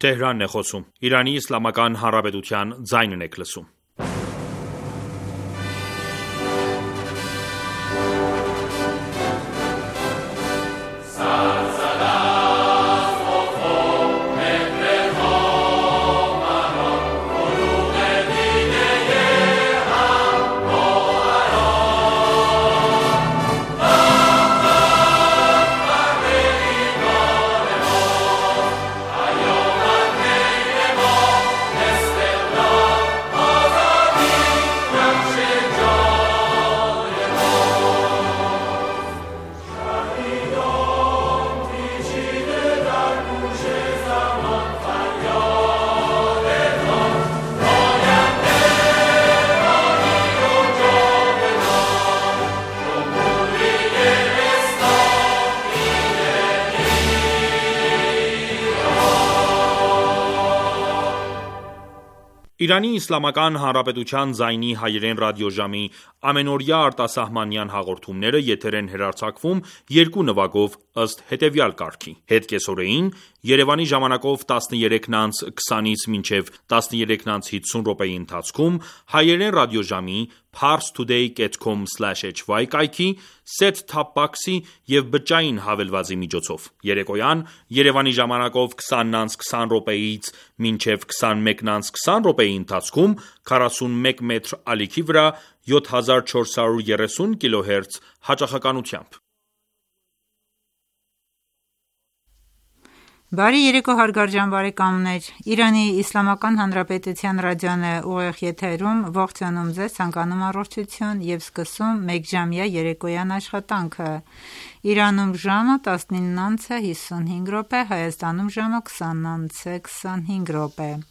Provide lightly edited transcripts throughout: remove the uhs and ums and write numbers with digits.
Թեհրանն է խոսում։ Իրանի Իսլամական Հանրապետության ձայնն եք լսում։ Իրանի Իսլամական Հանրապետության ձայնի հայերեն ռադիոժամի ամենօրյա արտասահմանյան հաղորդումները եթեր են հեռարձակվում երկու նվագով ըստ հետևյալ կարգի. Հետկեսօրեին Երևանի ժամանակով 13:20-ից մինչև 13:50 րոպեի ընթացքում հայերեն ռադիոժամի parstoday.com/hy կայքի, set-top box-ի և բջջային հավելվածի միջոցով։ Երեկոյան Երևանի ժամանակով 20:20 րոպեից մինչև 21:20 րոպեի ընթացքում 41 մետր ալիքի վրա 7430 կՀz հաճախականությամբ։ Բարի երեկո հարգարժան բարեկամներ, Իրանի Իսլամական Հանրապետության ռադիոն է ուղիղ եթերում, ողջունում ձեզ, ցանկանում առողջություն և սկսում մեկժամյա երեկոյան աշխատանքը։ Իրանում ժամը 19:55, Հայաստանում ժամը 20:25։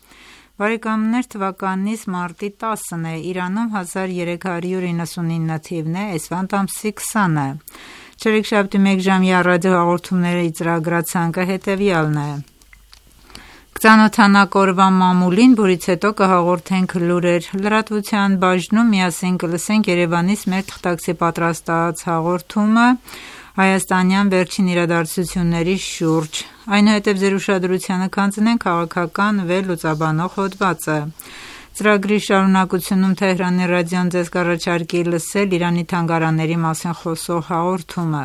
Բարեկամներ, թվականից մարտի 10-ն է, Իրանում 1399 թիվն է, էսվանտ ամսի 20-ը։ Չորեքշաբթի մեկժամյա ռադիոհաղորդումների ծրագրացանկը հետևյալն է. Կծանոթանանք օրվա մամուլին, որից հետո կհաղորդենք լուրեր, լրատվության բաժնում միասին կլսենք Երևանից մեր թղթակցի պատրաստած հաղորդումը հայաստանյան վերջին իրադարձությունների շուրջ, այնուհետև ձեր ուշադրությանը կհանձնենք քաղաքական վերլուծաբանող հոդվածը։ Ծրագրի շարունակությունում Թեհրանի ռադիոն ձեզ կառաջարկի լսել Իրանի թանգարանների մասին խոսող հաղորդումը,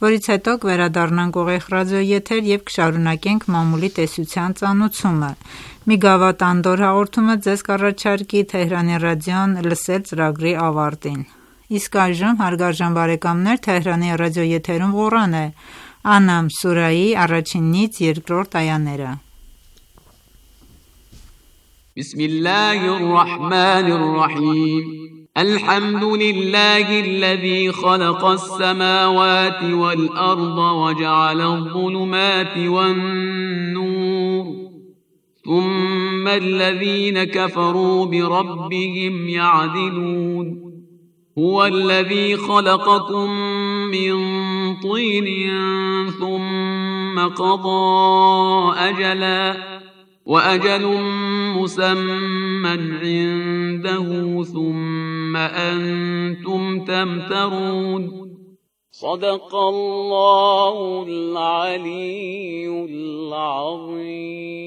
որից հետո կվերադառնանք ուղիղ ռադիոեթեր և կշարունակենք մամուլի տեսության ծանուցումը։ Մի գավաթ անդորր հաղորդումը ձեզ կառաջարկի Թեհրանի ռադիոն լսել ծրագրի ավարտին։ Իսկ այժմ, հարգարժան բարեկամներ, Թեհրանի ռադիոեթերում Ղուրան է, Անամ սուրայի 1-ից 2-րդ այաները։ بسم الله الرحمن الرحيم الحمد لله الذي خلق السماوات والأرض وجعل الظلمات والنور ثم الذين كفروا بربهم يعدلون هو الذي خلقكم من طين ثم قضى أجلا وأجل مسمى عنده ثم أنتم تمترون صدق الله العلي العظيم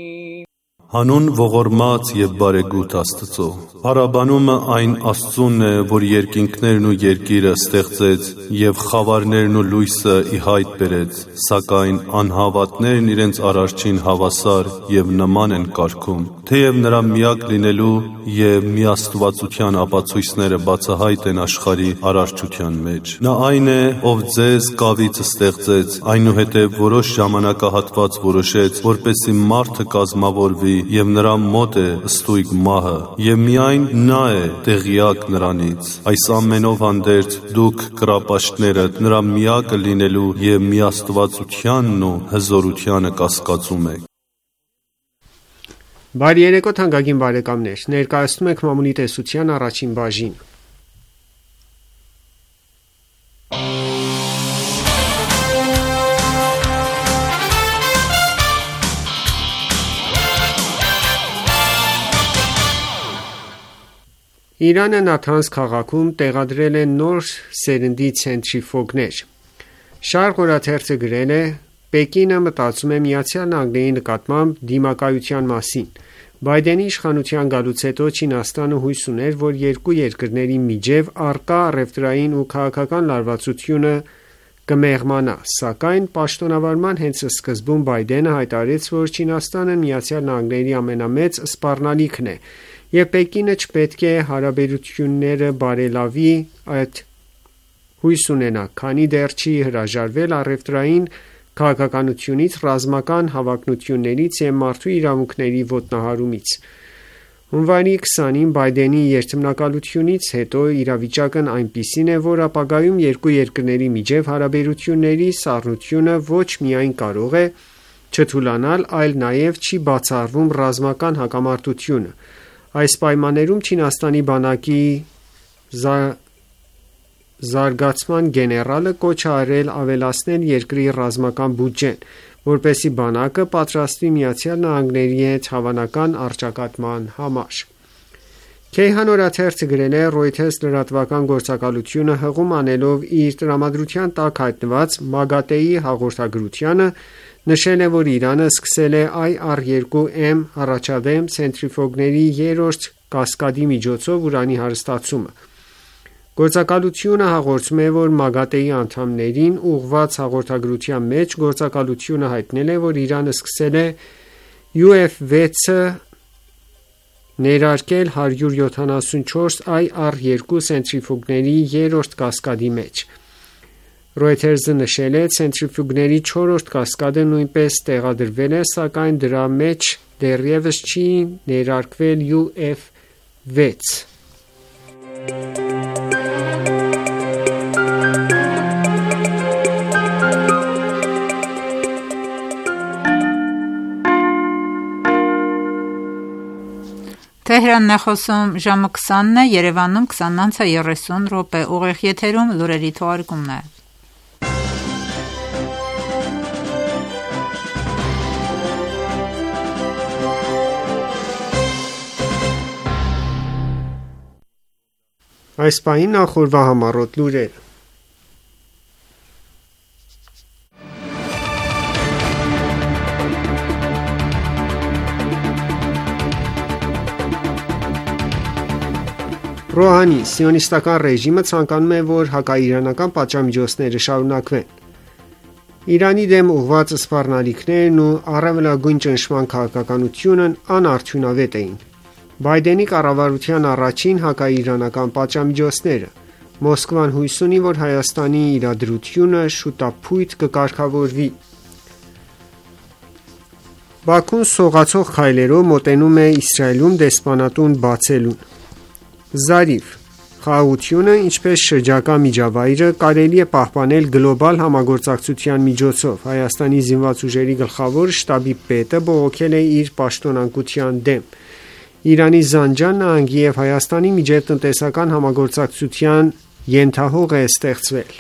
Հանուն ողորմած և բարեգութ Աստծո, Փառաբանումը այն Աստծունն է, որ երկինքներն ու երկիրը ստեղծեց և խավարներն ու լույսը ի հայտ բերեց, սակայն անհավատներն իրենց Արարչին հավասար և նման են կարգում, թեև նրա միակ լինելու և միաստվածության ապացույցները բացահայտ են աշխարհի արարչության մեջ։ Նա այն է, ով ձեզ կավից ստեղծեց, այնուհետև որոշ ժամանակահատված որոշեց, որպեսզի մարդը կազմավորվի և նրա մոտ է ստույգ մահը, և միայն նա է տեղյակ նրանից։ Այս ամենով հանդերձ դուք կռապաշտներդ նրա միակը լինելու և միաստվածությանն ու հզորությանը կասկածում եք։ Բարի երեկո թանկագին բարեկամներ, ներկայացնում ենք մամուլի տեսության առաջին բաժին։ Իրանը Նաթանզ քաղաքում տեղադրել են նոր սերնդի ցենտրիֆուգներ։ Շարք օրաթերթը գրել է. Պեկինը մտածում է Միացյալ Նահանգների նկատմամբ դիմակայության մասին։ Բայդենի իշխանության գալուց հետո Չինաստանը հույս ուներ, որ երկու երկրների միջև առկա առևտրային ու քաղաքական լարվածությունը կմեղմանա, սակայն պաշտոնավարման հենց սկզբում Բայդենը հայտարարեց, որ Չինաստանը Միացյալ Նահանգների ամենամեծ սպառնալիքն է, եւ Պեկինը չպետք է հարաբերությունները բարելավի այդ հույս ունենա, քանի դեռ չի հրաժարվել առևտրային քաղաքականությունից, ռազմական հավակնություններից եւ մարդու իրավունքների ոտնահարումից։ Հունվարի 20-ին Բայդենի երթմնակալությունից հետո իրավիճակն այնպիսին է, որ ապագայում երկու երկրների միջև հարաբերությունների սառնությունը ոչ միայն կարող է չթուլանալ, այլ նաև չի բացառվում ռազմական հակամարտությունը։ Այս պայմաններում Չինաստանի բանակի զարգացման գեներալը կոչ է արել ավելացնել երկրի ռազմական բյուջեն, որպեսզի բանակը պատրաստվի Միացյալ Նահանգների հետ հավանական առճակատման համար։ Քեյհան օրաթերթը գրել է Reuters լրատվական գործակալությունը հղում անելով իր տրամադրության տակ հայտնված ՄԱԳԱՏԵ-ի հաղորդագրությանը, նշել է, որ Իրանը սկսել է IR-2M առաջադեմ ցենտրիֆուգների երրորդ կասկադի միջոցով ուրանի հարստացումը։ Գործակալությունը հաղորդում է, որ ՄԱԳԱՏԵ-ի անդամներին ուղղված հաղորդագրության մեջ գործակալությունը հայտնել է, որ Իրանը սկսել է UF-6-ը ներարկել 174 IR-2 ցենտրիֆուգների երրորդ կասկադի մեջ։ Reuters-ը նշել է, ցենտրիֆուգների 4-րդ կասկադը նույնպես տեղադրվել է, սակայն դրա մեջ դեռևս չի ներարկվել UF-6։ Թեհրանն է խոսում ժամը 20-ն է, Երևանում 20:30 ուղիղ եթերում լուրերի թողարկումն է։ Այս պահին նախորդ համառոտ լուրեր։ Ռոհանի սիոնիստական ռեժիմը ցանկանում է, որ հակաիրանական պատժամիջոցները շարունակվեն։ Իրանի դեմ ուղղված սպառնալիքներն ու առավելագույն ճնշման քաղաքականությունն անարդյունավետ էին։ Բայդենի կառավարության առաջին հակաիրանական պատժամիջոցները։ Մոսկվան հույս ունի, որ Հայաստանի իրադրությունը շուտապույտ կկարգավորվի։ Բաքուն սողացող քայլերով մոտենում է Իսրայելում դեսպանատուն բացելուն։ Զարիվ խաղաղությունը, ինչպես շրջակա միջավայրը, կարելի է պահպանել գլոբալ համագործակցության միջոցով։ Հայաստանի զինված ուժերի գլխավոր շտաբի պետը բողոքել է իր պաշտոնանկության դեմ։ Իրանի Զանջան նահանգի և Հայաստանի միջև տնտեսական համագործակցության ենթահող է ստեղծվել։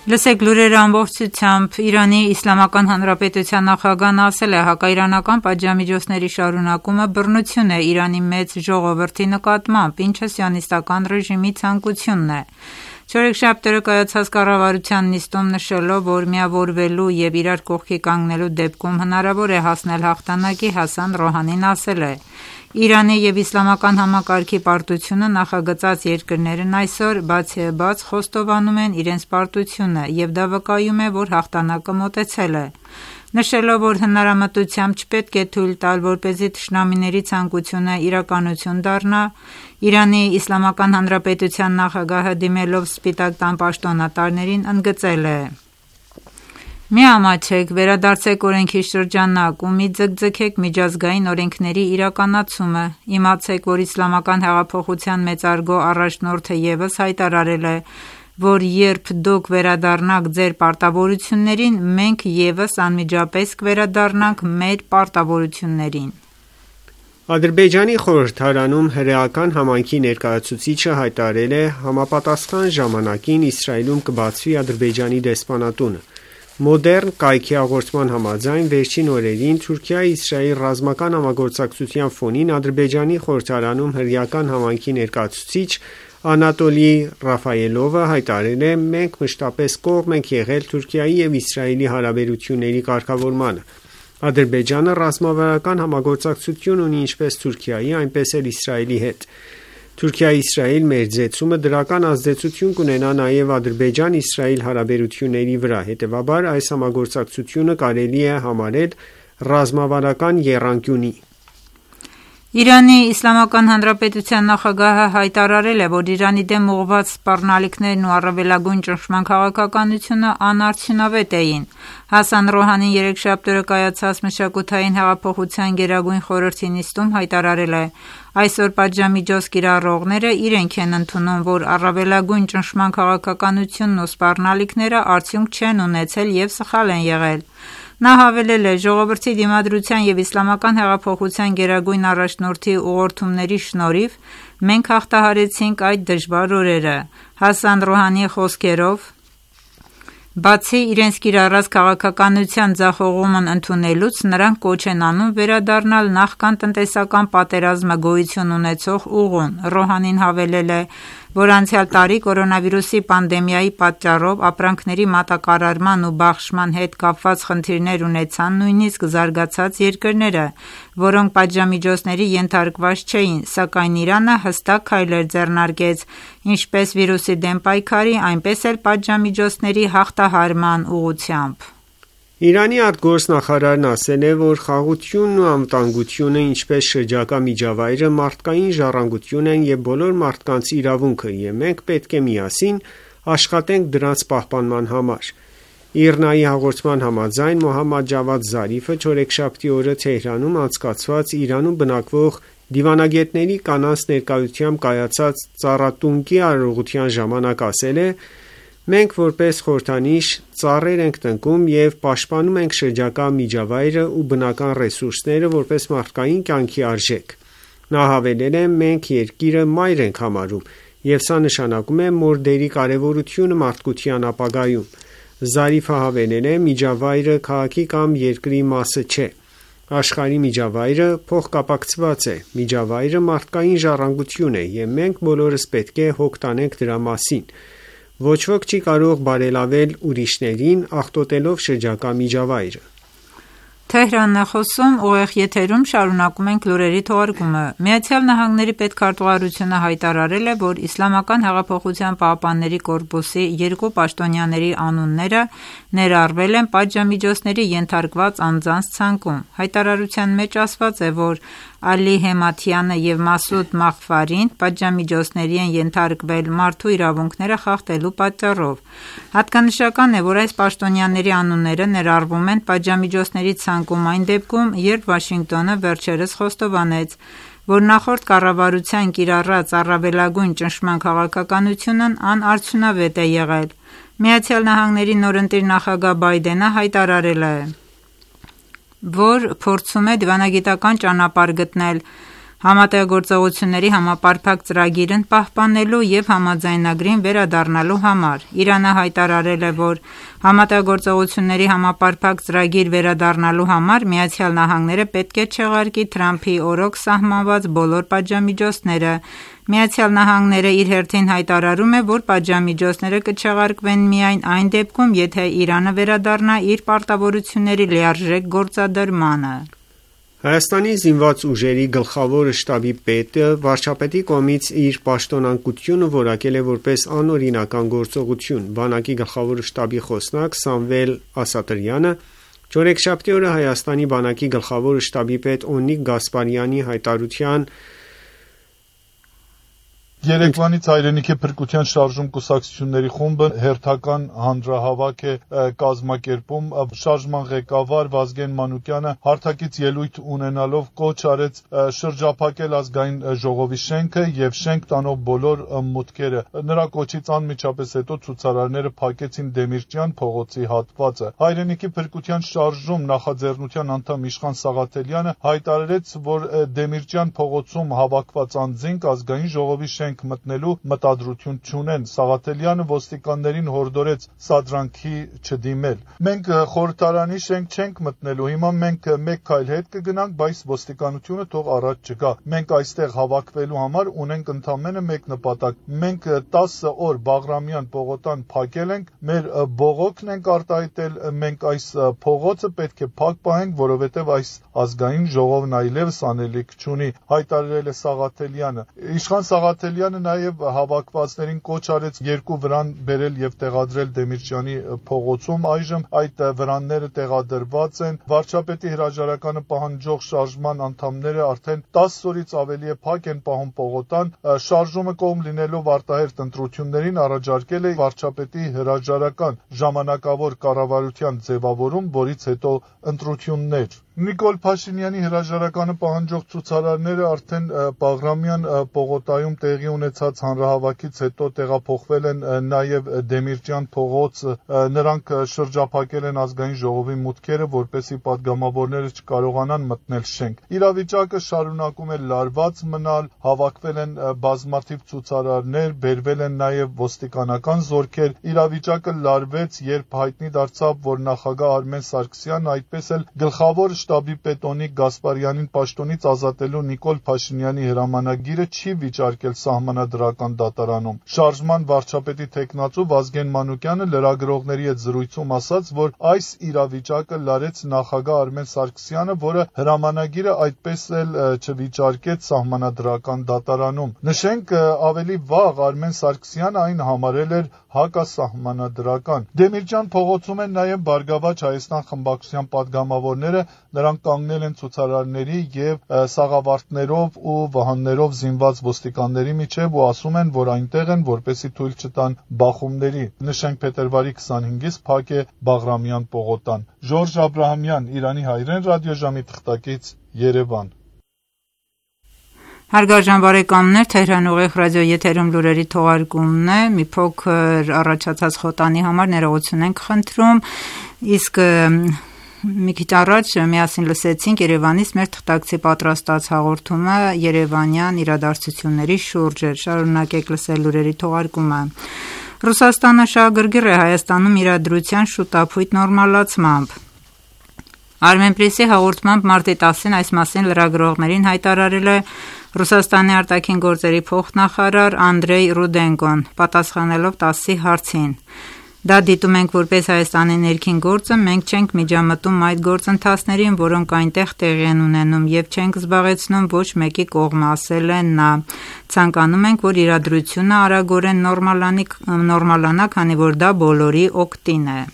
Լսեք լուրերը ամբողջությամբ։ Իրանի Իսլամական Հանրապետության նախագահն ասել է, հակաիրանական պատժամիջոցների շարունակումը բռնություն է Իրանի մեծ ժողովրդի նկատմամբ, ինչը սիոնիստական ռեժիմի ցանկությունն է։ Չորեքշաբթի կայացած կառավարության նիստում նշելով, որ միավորվելու և իրար կողքի կանգնելու դեպքում հնարավոր է հասնել հաղթանակի, Հասան Ռոհանին ասել է. Իրանի և իսլամական համակարգի պարտությունը նախագծած երկրներն այսօր բացիաբաց խոստովանում են իրենց պարտությունը և դա վկայում է, որ հաղթանակը մոտեցել է։ Նշելով, որ հնարամտությամբ չպետք է թույլ տալ, որպեսզի թշնամիների ցանկությունը իրականություն դառնա, Իրանի Իսլամական Հանրապետության նախագահը դիմելով Սպիտակ տան պաշտոնատարներին ընդգծել է. «Մի ամաչեք, վերադարձեք օրենքի շրջանակ ու մի ձգձգեք միջազգային օրենքների իրականացումը։ Իմացեք, որ Իսլամական հեղափոխության մեծարգո առաջնորդը ևս հայտարարել է, որ երբ դուք վերադառնաք ձեր պարտավորություններին, մենք ևս անմիջապես կվերադառնանք մեր պարտավորություններին»։ Ադրբեջանի խորհրդարանում հրեական համայնքի ներկայացուցիչը հայտարարել է, համապատասխան ժամանակին Իսրայելում կբացվի Ադրբեջանի դեսպանատունը։ Մոդեռն կայքի հաղորդման համաձայն վերջին օրերին Թուրքիա-Իսրայել ռազմական համագործակցության ֆոնին Ադրբեջանի խորհրդարանում հրեական համայնքի ներկայացուցիչ Անատոլի Ռաֆայելովը հայտարարել է. «Մենք մշտապես կողմ ենք եղել Թուրքիայի և Իսրայելի հարաբերությունների կարգավորմանը։ Ադրբեջանը ռազմավարական համագործակցություն ունի ինչպես Թուրքիայի, այնպես էլ Իսրայելի հետ։ Թուրքիա-Իսրայել մերձեցումը դրական ազդեցություն կունենա նաև Ադրբեջան-Իսրայել հարաբերությունների վրա, հետևաբար այս համագործակցությունը կարելի է համարել ռազմավարական եռանկյունի»։ Իրանի Իսլամական Հանրապետության նախագահը հայտարարել է, որ Իրանի դեմ ուղղված սպառնալիքներն ու առավելագույն ճնշման քաղաքականությունը անարդյունավետ էին։ Հասան Ռոհանին երեքշաբթի օրը կայացած մշակութային հեղափոխության գերագույն խորհրդի նիստում հայտարարել է. «Այսօր պատժամիջոց կիրառողները իրենք են ընդունում, որ առավելագույն ճնշման քաղաքականությունն ու սպառնալիքները արդյունք չեն ունեցել և սխալ են եղել»։ Նա հավելել է. «Ժողովրդի դիմադրության և իսլամական հեղափոխության գերագույն առաջնորդի ուղղորդումների շնորհիվ մենք հաղթահարեցինք այդ դժվար օրերը»։ Հասան Ռոհանիի խոսքերով, բացի իրենց կիրառած քաղաքականության ձախողումն ընդունելուց, նրանք կոչ են անում վերադառնալ նախքան տնտեսական պատերազմը գոյություն ունեցող ուղուն։ Ռոհանին հավելել է, որ անցյալ տարի կորոնավիրուսի պանդեմիայի պատճառով ապրանքների մատակարարման ու բաշխման հետ կապված խնդիրներ ունեցան նույնիսկ զարգացած երկրները, որոնք պատժամիջոցների ենթարկված չէին, սակայն Իրանը հստակ քայլեր ձեռնարկեց ինչպես վիրուսի դեմ պայքարի, այնպես էլ պատժամիջոցների հաղթահարման ուղղությամբ։ Իրանի արտգործնախարարն ասել է, որ խաղաղությունն ու անվտանգությունը, ինչպես շրջակա միջավայրը, մարդկային ժառանգություն են և բոլոր մարդկանց իրավունքը, և մենք պետք է միասին աշխատենք դրանց պահպանման համար։ ԻՌՆԱ-ի հաղորդման համաձայն Մոհամմադ Ջավադ Զարիֆը չորեքշաբթի օրը Թեհրանում անցկացված Իրանում բնակվող դիվանագետների կանանց ներկայությամբ կայացած ծառատունկի արարողության ժամանակ ասել է. «Մենք որպես խորհրդանիշ ծառեր ենք տնկում և պաշտպանում ենք շրջակա միջավայրը ու բնական ռեսուրսները որպես մարդկային կյանքի արժեք»։ Նա հավելել է. «Մենք երկիրը մայր ենք համարում, և սա նշանակում է մեր դերի կարևորությունը մարդկության ապագայում»։ Զարիֆը հավելել է. «Միջավայրը քաղաքի կամ երկրի մասը չէ։ Աշխարհի միջավայրը փոխկապակցված է։ Միջավայրը մարդկային ժառանգություն է, և մենք բոլորս պետք է հոգ տանենք դրա մասին։ Ոչ ոք չի կարող բարելավել ուրիշներին՝ աղտոտելով շրջակա միջավայրը»։ Թեհրանն է խոսում, ուղիղ եթերում շարունակում ենք լուրերի թողարկումը։ ԱՄՆ պետքարտուղարությունը հայտարարել է, որ Իսլամական հեղափոխության պահապանների կորպուսի երկու պաշտոնյաների անունները ներառվել են պատժամիջոցների ենթարկված անձանց ցանկում։ Հայտարարության մեջ ասված է, որ Ալի Հեմաթյանը և Մասուդ Մաղֆարին պատժամիջոցների են ենթարկվել մարդու իրավունքները խախտելու պատճառով։ Հատկանշական է, որ այս պաշտոնյաների անունները ներառվում են պատժամիջոցների ցանկում այն դեպքում, երբ Վաշինգտոնը վերջերս խոստովանեց, որ նախորդ կառավարության կիրառած առավելագույն ճնշման քաղաքականությունն անարդյունավետ է եղել։ ԱՄՆ նորընտիր նախագահ Բայդենը հայտարարել է, որ փորձում է դիվանագիտական ճանապարհ գտնել համատեղագործողությունների համապարփակ ծրագիրն պահպանելու և համաձայնագրին վերադառնալու համար։ Իրանը հայտարարել է, որ համատեղագործողությունների համապարփակ ծրագիր վերադառնալու համար ԱՄՆ-ը պետք է չեղարկի Թրամփի օրոք սահմանված բոլոր պատժամիջոցները։ ԱՄՆ-ն իր հերթին հայտարարում է, որ պատժամիջոցները կչեղարկվեն միայն այն դեպքում, եթե Իրանը վերադառնա իր պարտավորությունների լիարժեք գործադրմանը։ Հայաստանի զինված ուժերի գլխավոր շտաբի պետը վարչապետի կողմից իր պաշտոնանկությունը որակել է որպես անօրինական գործողություն։ Բանակի գլխավոր շտաբի խոսնակ Սամվել Ասատրյանը չորեքշաբթի օրը Հայաստանի բանակի գլխավոր շտաբի պետ Օնիկ Գասպարյանի հայտարարության Երեկվանից Հայրենիքի փրկության շարժում կուսակցությունների խումբը հերթական հանրահավաք է կազմակերպում։ Շարժման ղեկավար Վազգեն Մանուկյանը հարթակից ելույթ ունենալով կոչ արեց շրջափակել ազգային ժողովի շենքը եւ շենք տանող բոլոր մուտքերը։ Նրա կոչից անմիջապես հետո ցուցարարները փակեցին Դեմիրճյան փողոցի հատվածը։ Հայրենիքի փրկության շարժում նախաձեռնության անդամ Իշխան Սաղաթելյանը հայտարարեց, որ Դեմիրճյան փողոցում հավաքված անձինք ազգային ժողովի շենք շենք մտնելու մտադրություն չունեն։ Սաղաթելյանը ոստիկաններին հորդորեց սադրանքի չդիմել։ Մենք խորհրդարանի շենք չենք մտնելու, հիմա մենք մեկ քայլ հետ կգնանք, բայց ոստիկանությունը թող առաջ չգա։ Մենք այստեղ հավաքվելու համար ունենք ընդամենը մեկ նպատակ։ Մենք 10 օր Բաղրամյան պողոտան փակել ենք, մեր բողոքն ենք արտահայտել, մենք այս փողոցը պետք է փակ պահենք, որովհետև այս ազգային ժողովն այլևս անելիք չունի, հայտարարել է Սաղաթելյանը։ Իշխան Սաղաթելյանը նաև հավաքվածներին կոչ արեց 2 վրան բերել եւ տեղադրել Դեմիրճյանի փողոցում։ Այժմ այդ վրանները տեղադրված են։ Վարչապետի հրաժարականը պահանջող շարժման անդամները արդեն 10 օրից ավելի է փակ են պահում պողոտան։ Շարժումը կողմ լինելով արտահերթ ընտրություններին առաջարկել է վարչապետի հրաժարական ժամանակավոր կառավարության ձևավորում, որից հետո ընտրություններ։ Նիկոլ Փաշինյանի հրաժարականը պահանջող ցուցարարները արդեն Բաղրամյան պողոտայում տեղի ունեցած հանրահավաքից հետո տեղափոխվել են նաև Դեմիրճյան փողոց։ Նրանք շրջափակել են ազգային ժողովի մուտքերը, որպեսզի падգամավորները չկարողանան մտնել շենք։ Իրավիճակը շարունակում է լարված մնալ, հավաքվել են բազմաթիվ ցուցարարներ, բերվել են նաև ոստիկանական զորքեր։ Իրավիճակը լարվեց, երբ հայտնի դարձավ, որ նախագահ Արմեն Սարգսյանն, այդպես էլ գլխավոր շտաբի պետոնիկ Գասպարյանին պաշտոնից ազատելու Նիկոլ Փաշինյանի հրամանագիրը չի վիճարկել սահմանադրական դատարանում։ Շարժման վարչապետի տեխնացու Վազգեն Մանուկյանը լրագրողների հետ զրույցում ասաց, որ այս իրավիճակը լարեց նախագահ Արմեն Սարգսյանը, որը հրամանագիրը այդպես էլ չվիճարկեց սահմանադրական դատարանում։ Նշենք, ավելի վաղ Արմեն Սարգսյանը այն համարել էր հակասահմանադրական։ Դեմիրճյան փողոցում են նաև Բարգավաճ Հայաստան խմբակցության падգամավորները, նրանք կանգնել են ցուցարարների եւ սաղավարտներով ու վահաններով զինված ոստիկանների միջև ու ասում են, որ այնտեղ են, որպեսզի թույլ չտան բախումների։ Նշենք, փետրվարի 25-ից փակ է Բաղրամյան պողոտան։ Ժորժ Աբրահամյան, Իրանի հայրեն ռադիոժամի թղթակից, Երևան։ Հարգարժան բարեկամներ, Թեհրան ուղիղ ռադիո եթերում լուրերի թողարկումն է, մի փոքր առաջացած խոտանի համար ներողություն ենք խնդրում, իսկ մի քիչ առաջ միասին լսեցինք Երևանից մեր թղթակցի պատրաստած հաղորդումը երևանյան իրադարձությունների շուրջ էր։ Շարունակեք լսել լուրերի թողարկումը։ Ռուսաստանը շահագրգիռ է Հայաստանում իրադրության շուտափույթ նորմալացմամբ։ Armenpress-ի հաղորդմամբ մարտի 10-ին այս մասին լրագրողներին հայտարարել է Ռուսաստանի արտաքին գործերի փոխնախարար Անդրեյ Ռուդենկոն, պատասխանելով ՏԱՍՍ-ի հարցին։ Դա դիտում ենք որպես Հայաստանի ներքին գործը, մենք չենք միջամտում այդ գործընթացներին, որոնք այնտեղ տեղի են ունենում, եւ չենք զբաղեցնում ոչ մեկի կողմը, ասել է նա։ Ցանկանում ենք, որ իրադրությունը արագորեն նորմալանա, քանի որ դա բոլորի օգտին է։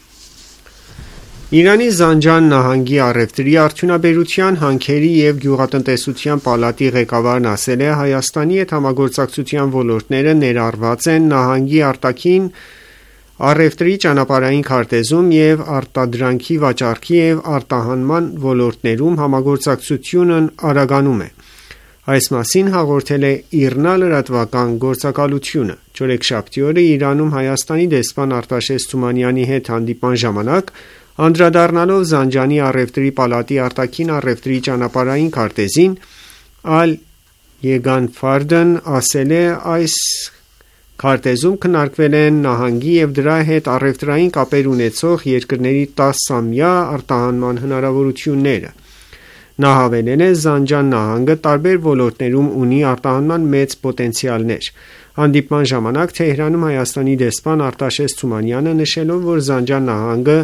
Իրանի Զանջան նահանգի առևտրի արդյունաբերության, հանքերի և գյուղատնտեսության պալատի ղեկավարն ասել է, Հայաստանի հետ համագործակցության ոլորտները ներառված են նահանգի արտաքին առևտրի ճանապարհային քարտեզում և արտադրանքի վաճառքի և արտահանման ոլորտներում համագործակցությունն արագանում է։ Այս մասին հաղորդել է ԻՌՆԱ լրատվական գործակալությունը։ Չորեքշաբթի օրը Իրանում Հայաստանի դեսպան Արտաշես Թումանյանի հետ հանդիպման ժամանակ անդրադառնալով Զանջանի առևտրի պալատի արտաքին առևտրի ճանապարհային քարտեզին, Ալ-Եգանֆարդն ասել է, այս քարտեզում քննարկվել են նահանգի և դրա հետ առևտրային կապեր ունեցող երկրների 10-ամյա արտահանման հնարավորությունները։ Նա հավելել է, Զանջան նահանգը տարբեր ոլորտներում ունի արտահանման մեծ պոտենցիալներ։ Հանդիպման ժամանակ Թեհրանում Հայաստանի դեսպան Արտաշես Թումանյանը նշելով, որ Զանջան նահանգը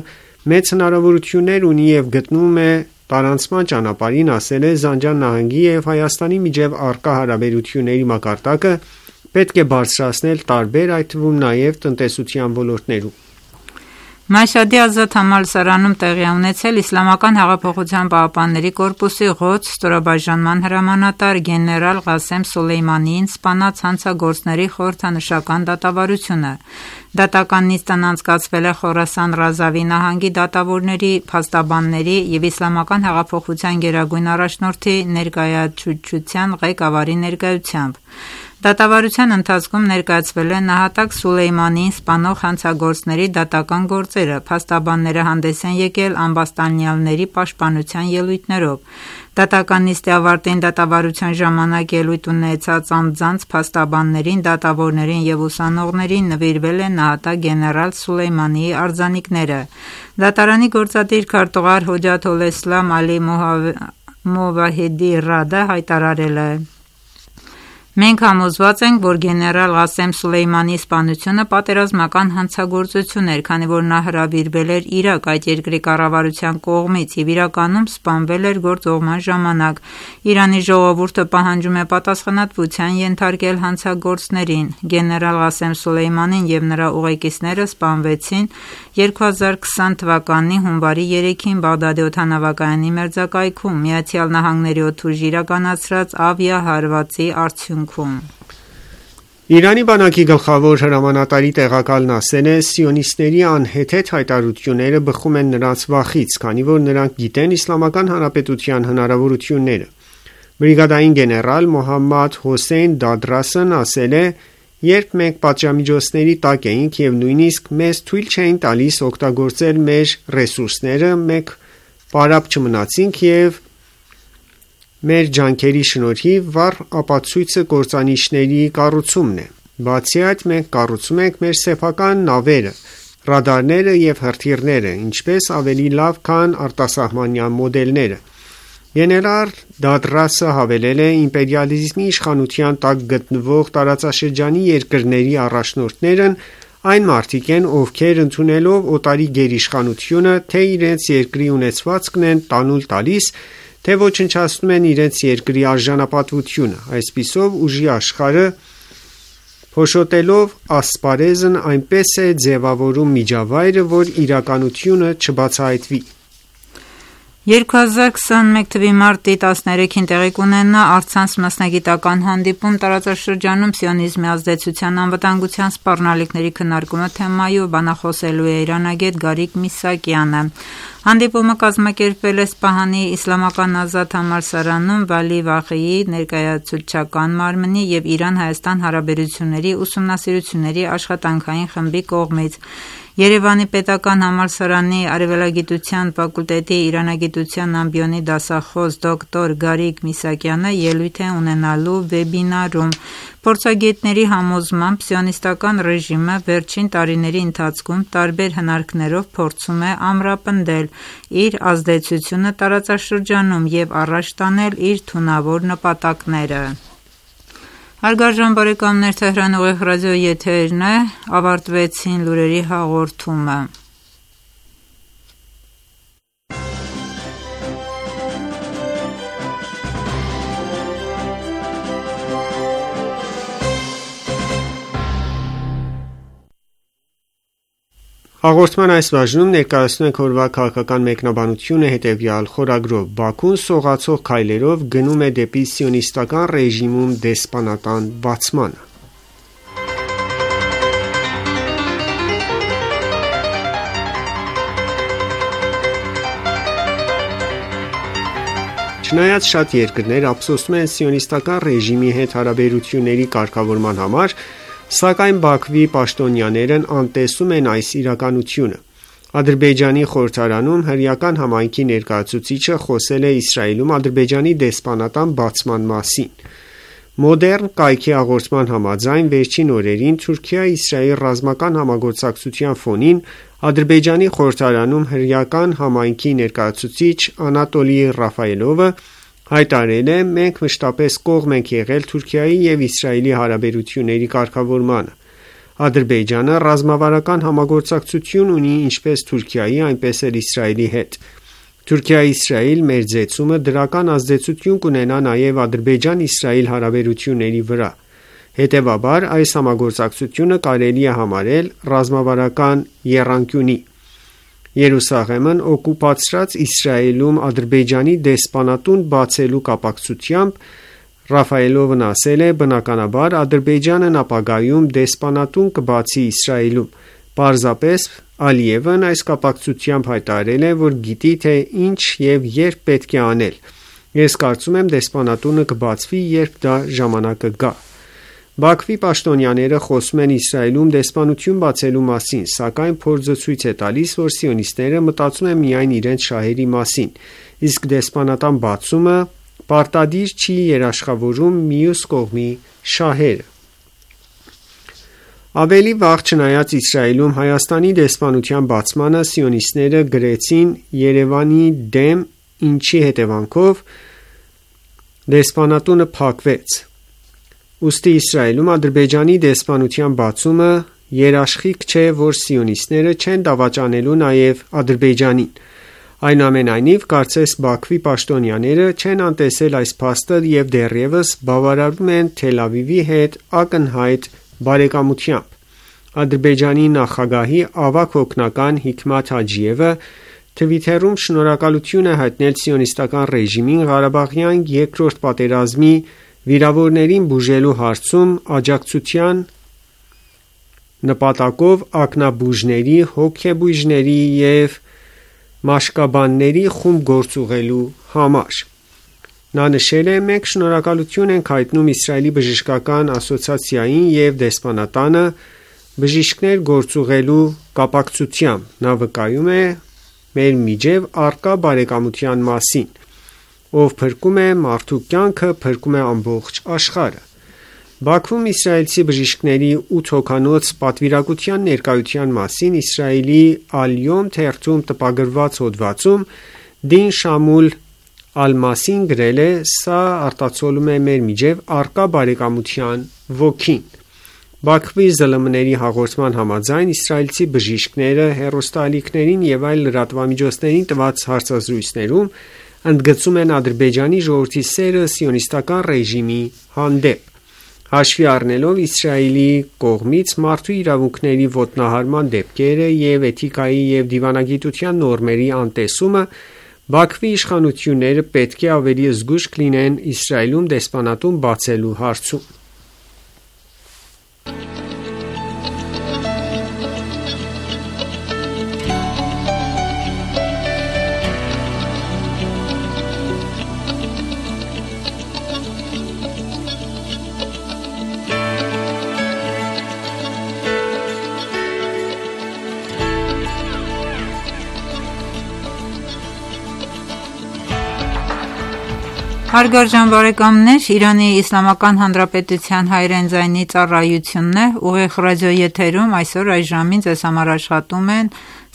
մեծ հնարավորություններ ունի և գտնվում է տարանցման ճանապարհին, ասել է, Զանջան նահանգի և Հայաստանի միջև առկա հարաբերությունների մակարդակը պետք է բարձրացնել տարբեր, այդ թվում նաև տնտեսության ոլորտներում։ Մաշհադի ազատ համալսարանում տեղի ունեցել Իսլամական հեղափոխության պահապանների կորպուսի Ղոդս ստորաբաժանման հրամանատար գեներալ Ղասեմ Սոլեյմանիին սպանած հանցագործների խորհրդանշական դատավարությունը։ Դատական նիստն անցկացվել է Խորասան Ռազավի նահանգի դատավորների, փաստաբանների և Իսլամական հեղափոխության գերագույն առաջնորդի ներկայացուցչության ղեկավարի ներկայությամբ։ Դատավարության ընթացքում ներկայացվել է նահատակ Սուլեյմանիին սպանող հանցագործների դատական գործերը, փաստաբանները հանդես են եկել ամբաստանյալների պաշտպանության ելույթներով։ Դատական նիստի ավարտին դատավարության ժամանակ ելույթ ունեցած անձանց փաստաբաններին, դատավորներին եւ ուսանողներին նվիրվել է նահատակ գեներալ Սուլեյմանիի արձանիկները։ Դատարանի գործադիր քարտուղար Հոջաթոլէսլամ Ալի Մովահեդի Ռադը հայտարարել է. «Մենք համոզված ենք, որ գեներալ Ղասեմ Սուլեյմանիի սպանությունը պատերազմական հանցագործություն էր, քանի որ նա հրավիրվել էր Իրաք այդ երկրի կառավարության կողմից և իրականում սպանվել էր գործողման ժամանակ։ Իրանի ժողովուրդը պահանջում է պատասխանատվության ենթարկել հանցագործներին։ Գեներալ Ղասեմ Սուլեյմանին և նրա ուղեկիցները սպանվեցին 2020 թվականի հունվարի 3-ին Բաղդադի օդանավակայանի մերձակայքում ԱՄՆ-ի օդուժի իրականացրած ավիահարվածի արդյունքում»։ Իրանի բանակի գլխավոր հրամանատարի տեղակալն ասել է. «Սիոնիստների անհեթեթ հայտարարությունները բխում են նրանց վախից, քանի որ նրանք գիտեն Իսլամական Հանրապետության հնարավորությունները»։ Բրիգադային գեներալ Մոհամմադ Հոսեյն Դադրասն ասել է. «Երբ մենք պատժամիջոցների տակ էինք և նույնիսկ մեզ թույլ չէին տալիս օգտագործել մեր ռեսուրսները, մենք պարապ չմնացինք և մեր ջանքերի շնորհիվ վառ ապացույցը կործանիչների կառուցումն է։ Բացի այդ, մենք կառուցում ենք մեր սեփական նավերը, ռադարները և հրթիռները, ինչպես ավելի լավ, քան արտասահմանյան մոդելները»։ Գեներալ Դադրասը հավելել է. «Իմպերիալիզմի իշխանության տակ գտնվող տարածաշրջանի երկրների առաջնորդներն այն մարդիկ են, ովքեր ընդունելով օտարի գերիշխանությունը թե իրենց երկրի ունեցվածքն են տանուլ տալիս, թե ոչնչացնում են իրենց երկրի արժանապատվությունը։ Այսպիսով ուժի աշխարհը փոշոտելով ասպարեզն այնպես է ձևավորում միջավայրը, որ իրականությունը չբացահայտվի»։ 2021 թվականի մարտի 13-ին տեղի կունենա առցանց մասնագիտական հանդիպում տարածաշրջանում սիոնիզմի ազդեցության անվտանգության սպառնալիքների քննարկումը թեմայով բանախոսելու է իրանագետ Գարիկ Միսակյանը։ Հանդիպումը կազմակերպվել է Սպահանի Իսլամական ազատ համալսարանում Վալի Վաղիի ներկայացուցչական մարմնի և Իրան-Հայաստան հարաբերությունների ուսումնասիրությունների աշխատանքային խմբի կողմից։ Երևանի պետական համալսարանի արևելագիտության ֆակուլտետի իրանագիտության ամբիոնի դասախոս դոկտոր Գարիկ Միսակյանը ելույթ է ունենալու վեբինարում։ Փորձագետների համոզմամբ սիոնիստական ռեժիմը վերջին տարիների ընթացքում տարբեր հնարքներով փորձում է ամրապնդել իր ազդեցությունը տարածաշրջանում և առաջ տանել իր թունավոր նպատակները։ Հարգարժան բարեկամներ, Թեհրան ուղիղ ռադիոյի եթերն է, ավարտվեցին լուրերի հաղորդումը։ Հաղորդման այս բաժնում ներկայացնում ենք օրվա քաղաքական մեկնաբանությունը հետևյալ խորագրով. Բաքուն սողացող քայլերով գնում է դեպի սիոնիստական ռեժիմում դեսպանատան բացմանը։ Չնայած շատ երկրներ ափսոսում են սիոնիստական ռեժիմի հետ հարաբերությունների կարգավորման համար, սակայն Բաքվի պաշտոնյաներն անտեսում են այս իրականությունը։ Ադրբեջանի խորհրդարանում հրեական համայնքի ներկայացուցիչը խոսել է Իսրայելում Ադրբեջանի դեսպանատան բացման մասին։ Մոդեռն կայքի հաղորդման համաձայն վերջին օրերին Թուրքիա-Իսրայել ռազմական համագործակցության ֆոնին Ադրբեջանի խորհրդարանում հրեական համայնքի ներկայացուցիչ Անատոլի Ռաֆայելովը հայտարարել է. «Մենք մշտապես կողմ ենք եղել Թուրքիայի և Իսրայելի հարաբերությունների կարգավորմանը։ Ադրբեջանը ռազմավարական համագործակցություն ունի ինչպես Թուրքիայի, այնպես էլ Իսրայելի հետ։ Թուրքիա-Իսրայել մերձեցումը դրական ազդեցություն կունենա նաև Ադրբեջան-Իսրայել հարաբերությունների վրա։ Հետևաբար, այս համագործակցությունը կարելի է համարել ռազմավարական եռանկյունի։ Երուսաղեմն օկուպացրած Իսրայելում Ադրբեջանի դեսպանատուն բացելու կապակցությամբ Ռաֆայելովն ասել է. «Բնականաբար Ադրբեջանն ապագայում դեսպանատուն կբացի Իսրայելում»։ Պարզապես Ալիևն այս կապակցությամբ հայտարարել է, որ գիտի, թե ինչ և երբ պետք է անել։ Ես կարծում եմ դեսպանատունը կբացվի, երբ դա ժամանակը գա։ Բաքվի պաշտոնյաները խոսում են Իսրայելում դեսպանություն բացելու մասին, սակայն փորձը ցույց է տալիս, որ սիոնիստները մտածում են միայն իրենց շահերի մասին, իսկ դեսպանատան բացումը պարտադիր չի երաշխավորում մյուս կողմի շահերը։ Ավելի վաղ, չնայած Իսրայելում Հայաստանի դեսպանության բացմանը, սիոնիստները գրեցին Երևանի դեմ, ինչի հետևանքով դեսպանատունը փակվեց։ Ուստի Իսրայելում Ադրբեջանի դեսպանության բացումը երաշխիք չէ, որ սիոնիստները չեն դավաճանելու նաև Ադրբեջանին։ Այնուամենայնիվ, կարծես Բաքվի պաշտոնյաները չեն անտեսել այս փաստը եւ դեռևս բավարարում են Թել Ավիվի հետ ակնհայտ բարեկամությամբ։ Ադրբեջանի նախագահի ավագ օգնական Հիքմաթ Հաջիևը Թվիթերում շնորհակալություն է հայտնել սիոնիստական ռեժիմին Ղարաբաղյան երկրորդ պատերազմի վիրավորներին բուժելու հարցում աջակցության նպատակով ակնաբուժների, հոգեբույժների և մաշկաբանների խումբ գործուղելու համար։ Նա նշել է. «Մենք շնորհակալություն ենք հայտնում Իսրայելի բժշկական ասոցիացիային և դեսպանատանը բժիշկներ գործուղելու կապակցությամբ»։ Նա վկայում է մեր միջև առկա բարեկամության մասին։ Ով փրկում է մարդու կյանքը, փրկում է ամբողջ աշխարհը։ Բաքվում իսրայելցի բժիշկների 8 հոգանոց պատվիրակության ներկայության մասին Իսրայելի Ալ-Յոմ թերթում տպագրված հոդվածում Դին Շամուլ Ալ-Մասին գրել է. «Սա արտացոլում է մեր միջև առկա բարեկամության ոգին»։ Բաքվի ԶԼՄ-ների հաղորդման համաձայն իսրայելցի բժիշկները հեռուստաալիքներին և այլ լրատվամիջոցներին տված հարցազրույցներում ընդգծում են Ադրբեջանի ժողովրդի սերը սիոնիստական ռեժիմի հանդեպ։ Հաշվի առնելով Իսրայելի կողմից մարդու իրավունքների ոտնահարման դեպքերը և էթիկայի և դիվանագիտության նորմերի անտեսումը, Բաքվի իշխանությունները պետք է ավելի զգույշ լինեն Իսրայելում դեսպանատուն բացելու հարցում։ Հարգարժան բարեկամներ, Իրանի Իսլամական Հանրապետության հայրեն ձայնի ծառայությունն է, ուղիղ ռադիոեթերում այսօր այս ժամին ձեզ համար աշխատում են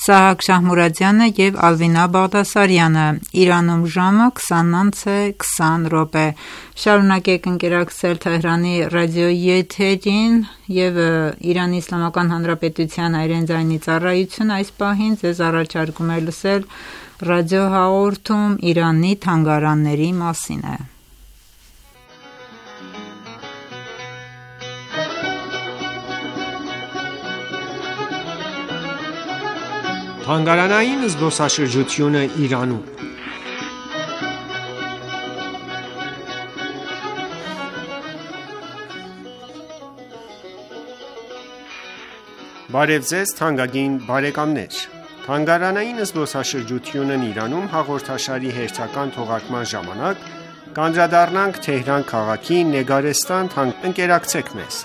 Սահակ Շահմուրադյանը և Ալվինա Բաղդասարյանը, Իրանում ժամը 20:20 Շարունակեք ընկերակցել Թեհրանի ռադիոեթերին և Իրանի Իսլամական Հանրապետության հայրեն ձայնի ծառայությունը այս պահին ձեզ առաջարկում է լսել ռադիոհաղորդում Իրանի թանգարանների մասին է։ Թանգարանային զբոսաշրջությունը Իրանում։ Բարև ձեզ թանկագին բարեկամներ։ Թանգարանային զբոսաշրջությունն Իրանում հաղորդաշարի հերթական թողարկման ժամանակ կանդրադառնանք Թեհրան քաղաքի Նեգարեստան ընկերակցեք մեզ։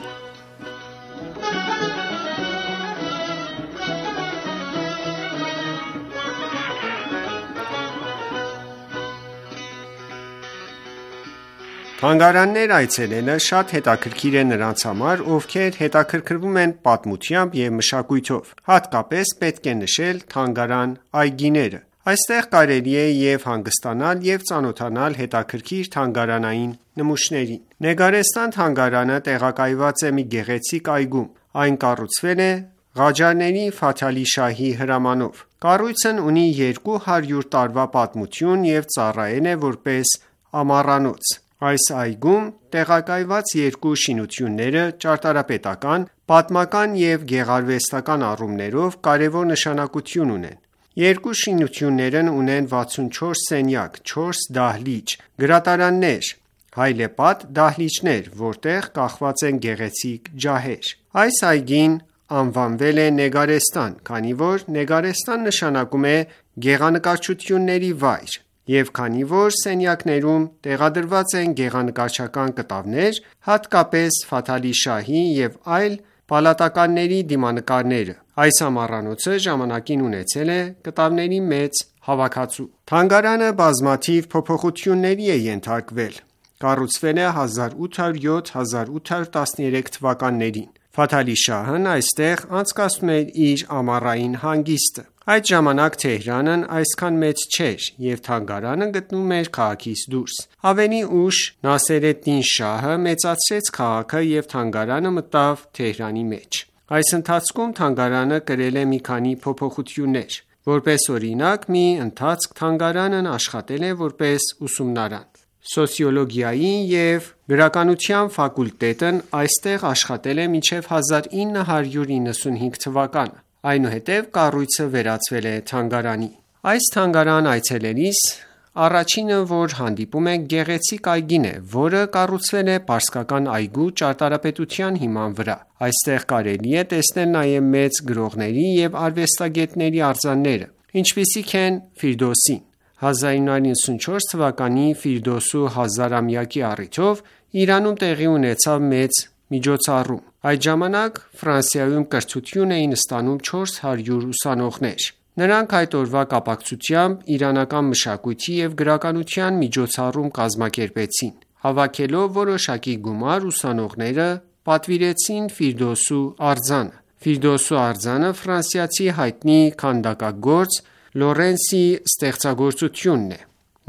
Թանգարաններ այցելելը շատ հետաքրքիր է նրանց համար, ովքեր հետաքրքրվում են պատմությամբ և մշակույթով։ Հատկապես պետք է նշել թանգարան այգիները։ Այստեղ կարելի է և հանգստանալ, և ծանոթանալ հետաքրքիր թանգարանային նմուշներին։ Նեգարեստան թանգարանը տեղակայված է մի գեղեցիկ այգում։ Այն կառուցվել է Ղաջարների Ֆաթալի շահի հրամանով։ Կառույցն ունի 200 տարվա պատմություն և ծառայել է որպես ամառանոց։ Այս այգում տեղակայված երկու շինությունները ճարտարապետական, պատմական և գեղարվեստական առումներով կարևոր նշանակություն ունեն։ Երկու շինություններն ունեն 64 սենյակ, 4 դահլիճ, գրատարաններ, հայլեպատ դահլիճներ, որտեղ կախված են գեղեցիկ ջահեր։ Այս այգին անվանվել է Նեգարեստան, քանի որ Նեգարեստան նշանակում է գեղանկարչությունների վայր, Եվ քանի որ սենյակներում տեղադրված են գեղանկարչական կտավներ, հատկապես Ֆաթալի շահի և այլ պալատականների դիմանկարները, այս ամառանոցը ժամանակին ունեցել է կտավների մեծ հավաքածու։ Թանգարանը բազմաթիվ փոփոխությունների է ենթարկվել։ Կառուցվել է 1807-1813 թվականներին։ Ֆաթալի շահն այստեղ անցկացնում էր իր ամառային հանգիստը։ Այդ ժամանակ Թեհրանն այսքան մեծ չէր, և թանգարանը գտնվում էր քաղաքից դուրս։ Ավելի ուշ Նասերեդդին շահը մեծացրեց քաղաքը և թանգարանը մտավ Թեհրանի մեջ։ Այս ընթացքում թանգարանը կրել է մի քանի փոփոխություններ։ Որպես օրինակ, մի ընթացք թանգարանն աշխատել է որպես ուսումնարան։ Սոցիոլոգիայի և գրականության ֆակուլտետն այստեղ աշխատել է մինչև 1995 թվականը։ Այնուհետև կառույցը վերածվել է թանգարանի։ Այս թանգարան այցելելիս առաջինը, որ հանդիպում է, գեղեցիկ այգին է, որը կառուցվել է պարսկական այգու ճարտարապետության հիման վրա։ Այստեղ կարելի է տեսնել նաև մեծ գրողների և արվեստագետների արձանները, ինչպիսիք են Ֆիրդոսին։ 1994 թվականի Ֆիրդոսու 1000-ամյակի առիթով Իրանում տեղի ունեցավ մեծ միջոցառում։ Այդ ժամանակ Ֆրանսիայում կրթություն էին ստանում 400 ուսանողներ։ Նրանք այդ օրվա կապակցությամբ իրանական մշակույթի և գրականության միջոցառում կազմակերպեցին։ Հավաքելով որոշակի գումար, ուսանողները պատվիրեցին Ֆիրդոսու արձանը։ Ֆիրդոսու արձանը ֆրանսիացի հայտնի քանդակագործ Լորենսի ստեղծագործությունն է։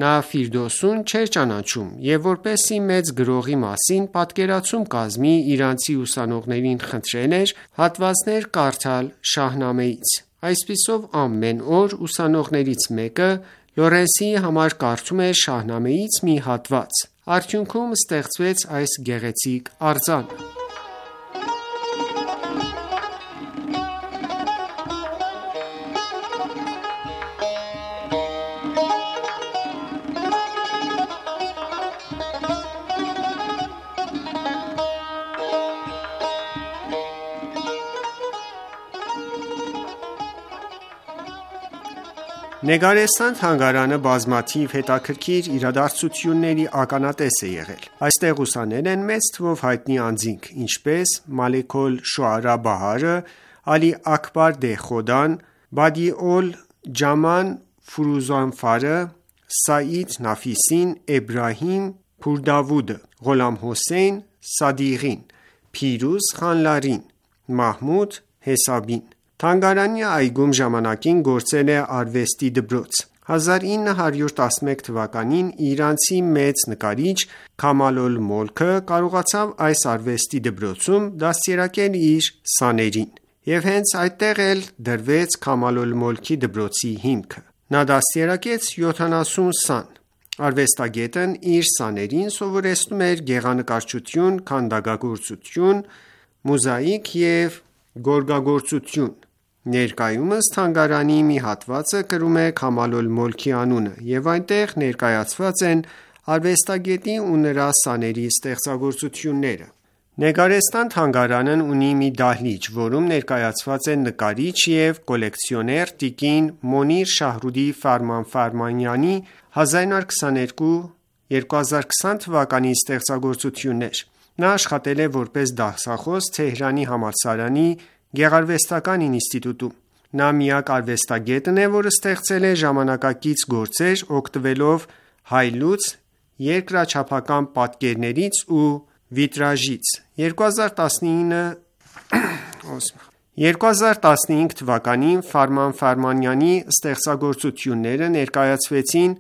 Նա Ֆիրդոսուն չէր ճանաչում և որպեսզի մեծ գրողի մասին պատկերացում կազմի, իրանցի ուսանողներին խնդրել էր հատվածներ կարդալ Շահնամեից։ Այսպիսով ամեն օր ուսանողներից մեկը Լորենսի համար կարդում էր Շահնամեից մի հատված։ Արդյունքում ստեղծվեց այս գեղեցիկ արձանը։ Նեգարեստան թանգարանը բազմաթիվ հետաքրքիր իրադարձությունների ականատես է եղել։ Այստեղ ուսանել են մեծ թվով հայտնի անձինք, ինչպես Մալեք ալ-Շուարա Բահարը, Ալի Աքբար Դեհխոդան, Բադիոլ Ջաման Ֆուրուզանֆարը, Սաիդ Նաֆիսին, Էբրահիմ Փուրդավուդը, Ղոլամ Հոսեյն Սադիղին, Փիրուզ Խանլարին, Մահմուդ Հեսաբին։ Թանգարանի այգում ժամանակին գործել է արվեստի դպրոց։ 1911 թվականին իրանցի մեծ նկարիչ Քամալ ալ-Մոլքը կարողացավ այս արվեստի դպրոցում դաստիարակել իր սաներին, և հենց այդտեղ էլ դրվեց Քամալ ալ-Մոլքի դպրոցի հիմքը։ Նա դաստիարակեց 70 սան։ Արվեստագետն իր սաներին սովորեցնում էր գեղանկարչություն, քանդակագործություն, մոզաիկ և գորգագործություն։ Ներկայումս թանգարանի մի հատվածը կրում է Քամալ ալ-Մոլքի անունը, և այնտեղ ներկայացված են արվեստագետի ու նրա սաների ստեղծագործությունները։ Նեգարեստան թանգարանն ունի մի դահլիճ, որում ներկայացված է նկարիչ և կոլեկցիոներ տիկին Մոնիր Շահրուդի Ֆարմանֆարմանյանի 1922-2020 թվականի ստեղծագործություններ։ Նա աշխատել է որպես դասախոս Թեհրանի համալսարանի Գեղարվեստական ինստիտուտում։ Նա միակ արվեստագետն է, որ ստեղծել է ժամանակակից գործեր օգտվելով հայլուց, երկրաչափական պատկերներից ու վիտրաժից։ 2015 թվականին Ֆարմանֆարմանյանի ստեղծագործությունները ներկայացվեցին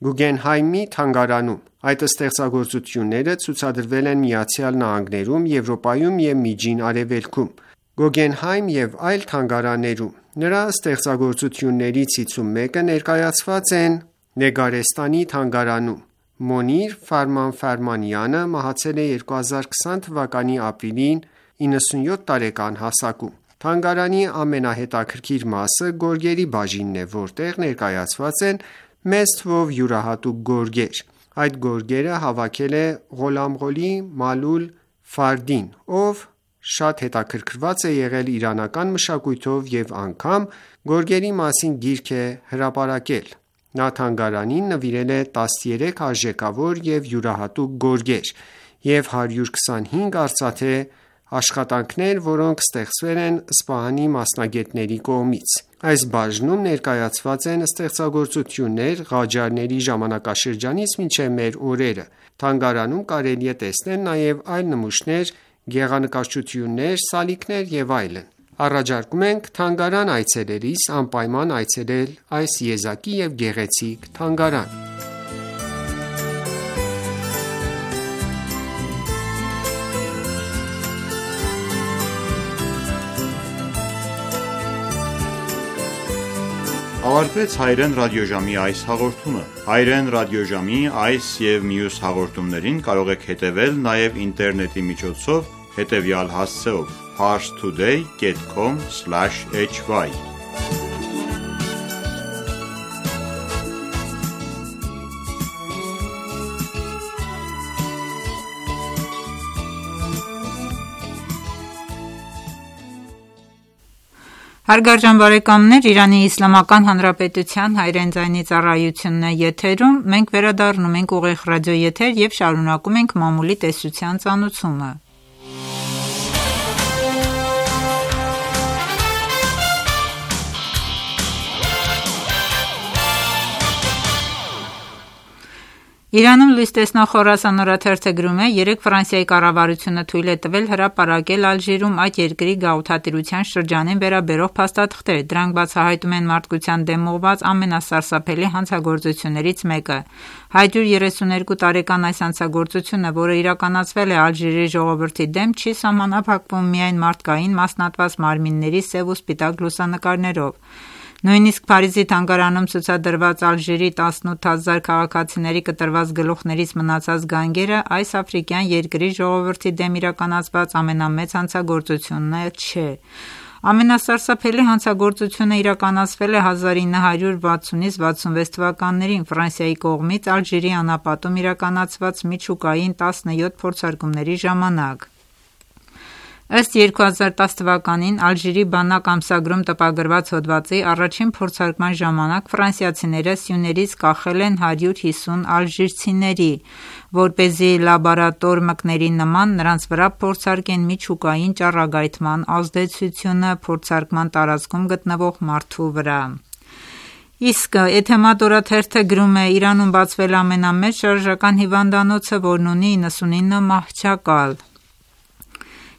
Գուգենհայմի թանգարանում։ Այդ ստեղծագործությունները ցուցադրվել են ԱՄՆ-ում, Եվրոպայում և Միջին Արևելքում, Գուգենհայմ և այլ թանգարաններում։ Նրա ստեղծագործություններից 51-ը ներկայացված են Նեգարեստանի թանգարանում։ Մոնիր Ֆարմանֆարմանյանը մահացել է 2020 թվականի ապրիլին 97 տարեկան հասակում։ Թանգարանի ամենահետաքրքիր մասը գորգերի բաժինն է, որտեղ ներկայացված են մեծ թվով յուրահատուկ գորգեր։ Այդ գորգերը հավաքել է Ղոլամղոլի Մալուլ Ֆարդին, ով շատ հետաքրքրված է եղել իրանական մշակույթով և անգամ գորգերի մասին գիրք է հրապարակել։ Նա թանգարանին նվիրել է 13 արժեքավոր և յուրահատուկ գորգեր և 125 արծաթե աշխատանքներ, որոնք ստեղծվել են Սպահանի մասնագետների կողմից։ Այս բաժնում ներկայացված են ստեղծագործություններ Ղաջարների ժամանակաշրջանից մինչև մեր օրերը։ Թանգարանում կարելի է տեսնել նաև այլ նմուշներ, գեղանկարչություններ, սալիկներ և այլն։ Առաջարկում ենք թանգարան այցելելիս անպայման այցելել այս եզակի և գեղեցիկ թանգարան։ Ավարտվեց հայերեն ռադիոժամի այս հաղորդումը։ Հայերեն ռադիոժամի այս և մյուս հաղորդումներին կարող եք հետևել նաև ինտերնետի միջոցով հետևյալ հասցեով՝ parstoday.com/hy Հարգարժան բարեկամներ, Իրանի Իսլամական Հանրապետության հայրեն ձայնի ծառայությունն է եթերում։ Մենք վերադառնում ենք ուղիղ ռադիոեթեր և շարունակում ենք մամուլի տեսության ծանուցումը։ Իրանում լույս տեսնող Խորասան օրաթերթը գրում է. երեկ Ֆրանսիայի կառավարությունը թույլ է տվել հրապարակել Ալժիրում այդ երկրի գաղութատիրության շրջանին վերաբերող փաստաթղթեր։ Դրանք բացահայտում են մարդկության դեմ ուղղված ամենասարսափելի հանցագործություններից մեկը։ 132 տարեկան այս հանցագործությունը, որը իրականացվել է Ալժիրի ժողովրդի դեմ, չի սահմանափակվում միայն մարդկային մասնատված մարմինների սև ու սպիտակ լուսանկարներով։ Նույնիսկ Փարիզի թանգարանում ցուցադրված Ալժիրի 18,000 քաղաքացիների կտրված գլուխներից մնացած գանգերը այս աֆրիկյան երկրի ժողովրդի դեմ իրականացված ամենամեծ հանցագործությունն չէ։ Ամենասարսափելի հանցագործությունը իրականացվել է 1960-66 թվականներին Ֆրանսիայի կողմից Ալժիրի անապատում իրականացված միջուկային 17 փորձարկումների ժամանակ։ Ըստ 2010 թվականին Ալժիրի բանակ ամսագրում տպագրված հոդվածի, առաջին փորձարկման ժամանակ ֆրանսիացիները սյուներից կախել են 150 ալժիրցիների, որպեսզի լաբորատոր մկների նման նրանց վրա փորձարկեն միջուկային ճառագայթման ազդեցությունը փորձարկման տարածքում գտնվող մարդու վրա։ Իսկ Էթեմադ օրաթերթը գրում է. Իրանում բացվել է ամենամեծ շարժական հիվանդանոցը, որն ունի 99 մահճակալ։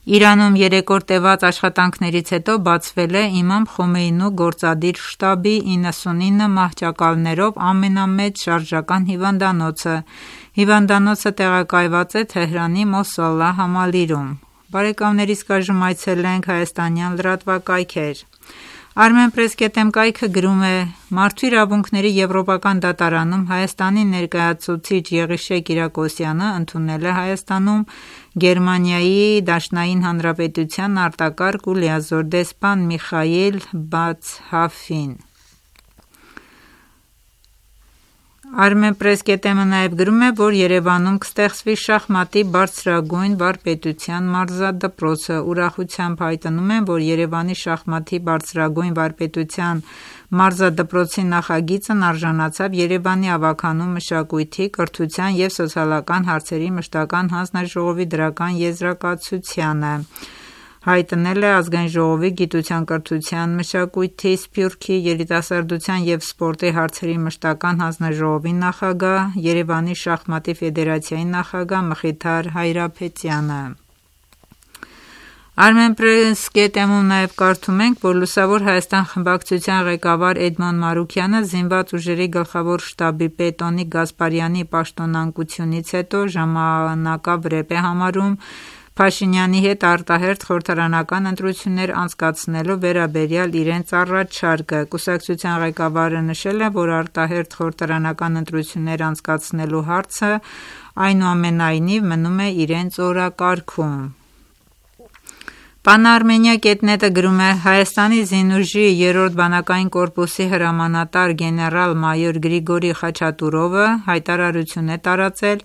Իրանում 3 օր տևած աշխատանքներից հետո բացվել է Իմամ Խոմեյնու գործադիր շտաբի 99 մահճակալներով ամենամեծ շարժական հիվանդանոցը։ Հիվանդանոցը տեղակայված է Թեհրանի Մոսալլա համալիրում։ Բարեկամներ, իսկ այժմ այցելենք հայաստանյան լրատվակայքեր։ Armenpress.am կայքը գրում է. Մարդու իրավունքների եվրոպական դատարանում Հայաստանի ներկայացուցիչ Եղիշե Կիրակոսյանը ընդունել է Հայաստանում Գերմանիայի Դաշնային Հանրապետության արտակարգ ու լիազոր դեսպան Միխայիլ Բացհաֆին։ Armenpress.am-ը նաև գրում է, որ Երևանում կստեղծվի շախմատի բարձրագույն վարպետության մարզադպրոցը։ Ուրախությամբ հայտնում են, որ Երևանի շախմատի բարձրագույն վարպետության մարզադպրոցի նախագիծն արժանացավ Երևանի ավագանու մշակույթի, կրթության և սոցիալական հարցերի մշտական հանձնաժողովի դրական եզրակացությանը, հայտնել է Ազգային ժողովի գիտության, կրթության, մշակույթի, սփյուռքի, երիտասարդության և սպորտի հարցերի մշտական հանձնաժողովի նախագահ, Երևանի շախմատի ֆեդերացիայի նախագահ Մխիթար Հայրապետյանը։ Armenpress.am-ում նաև կարդում ենք, որ Լուսավոր Հայաստան խմբակցության ղեկավար Էդմոն Մարուքյանը զինված ուժերի գլխավոր շտաբի պետ Օնիկ Գասպարյանի պաշտոնանկությունից հետո ժամանակավրեպ է համարում Փաշինյանի հետ արտահերթ խորհրդարանական ընտրություններ անցկացնելու վերաբերյալ իրենց առաջարկը։ Կուսակցության ղեկավարը նշել է, որ արտահերթ խորհրդարանական ընտրություններ անցկացնելու հարցը այնուամենայնիվ մնում է իրենց օրակարգում։ Pan-Armenia.net-ը գրում է. Հայաստանի զինուժի 3-րդ բանակային կորպուսի հրամանատար գեներալ-մայոր Գրիգորի Խաչատուրովը հայտարարություն է տարածել,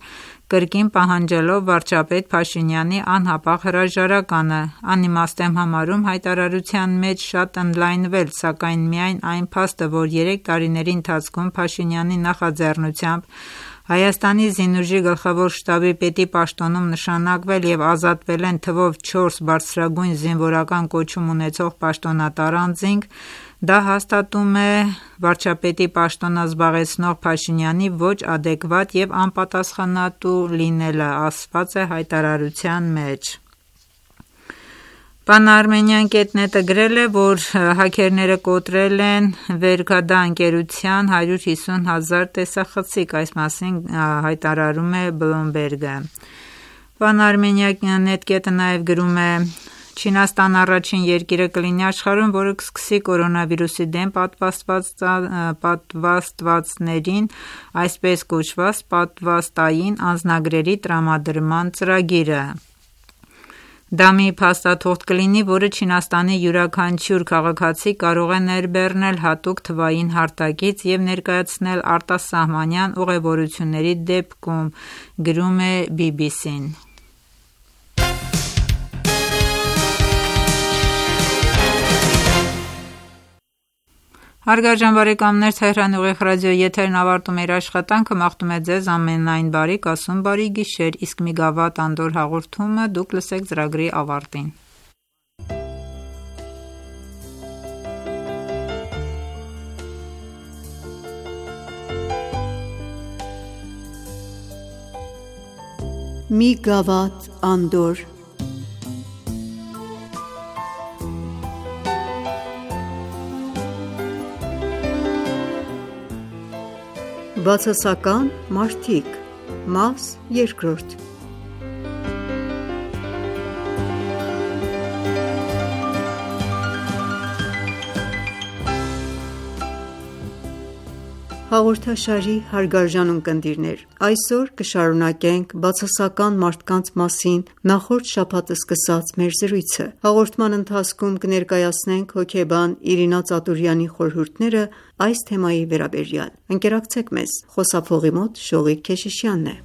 կրկին պահանջելով վարչապետ Փաշինյանի անհապաղ հրաժարականը։ Անիմաստ եմ համարում հայտարարության մեջ շատ ընդլայնվել, սակայն միայն այն փաստը, որ 3 տարիների ընթացքում Փաշինյանի նախաձեռնությամբ Հայաստանի զինուժի գլխավոր շտաբի պետի պաշտոնում նշանակվել և ազատվել են թվով 4 բարձրագույն զինվորական կոչում ունեցող պաշտոնատար անձինք, դա հաստատում է վարչապետի պաշտոնը զբաղեցնող Փաշինյանի ոչ ադեկվատ և անպատասխանատու լինելը, ասված է հայտարարության մեջ։ Pan-Armenian.net-ը գրել է, որ հաքերները կոտրել են Վերգադա ընկերության 150,000 տեսախցիկ, այս մասին հայտարարում է Bloomberg-ը։ Pan-Armenian.net-ը նաև գրում է. Չինաստան առաջին երկիրը կլինի աշխարհում, որը կսկսի կորոնավիրուսի դեմ պատվաստվածներին այսպես կոչված պատվաստային անձնագրերի տրամադրման ծրագիրը։ Դա մի փաստաթուղթ կլինի, որը Չինաստանի յուրաքանչյուր քաղաքացի կարող է ներբեռնել հատուկ թվային հարթակից և ներկայացնել արտասահմանյան ուղևորությունների դեպքում, գրում է BBC-ն։ Հարգարժան բարեկամներ, Թեհրանի ուղիղ ռադիոյի եթերն ավարտում է իր աշխատանքը, մաղթում է ձեզ ամենայն բարիք, ասում բարի գիշեր, իսկ մի գավաթ անդոր հաղորդումը դուք լսեք ծրագրի ավարտին։ Մի գավաթ անդոր Բացասական մարդիկ, մաս երկրորդ։ Հաղորդաշարի հարգարժան ունկնդիրներ, այսօր կշարունակենք բացասական մարդկանց մասին նախորդ շաբաթ սկսած մեր զրույցը։ Հաղորդման ընթացքում կներկայացնենք հոգեբան Իրինա Ծատուրյանի խորհուրդները այս թեմայի վերաբերյալ։ Ընկերակցեք մեզ, խոսափողի մոտ Շողիկ Քեշիշյանն է։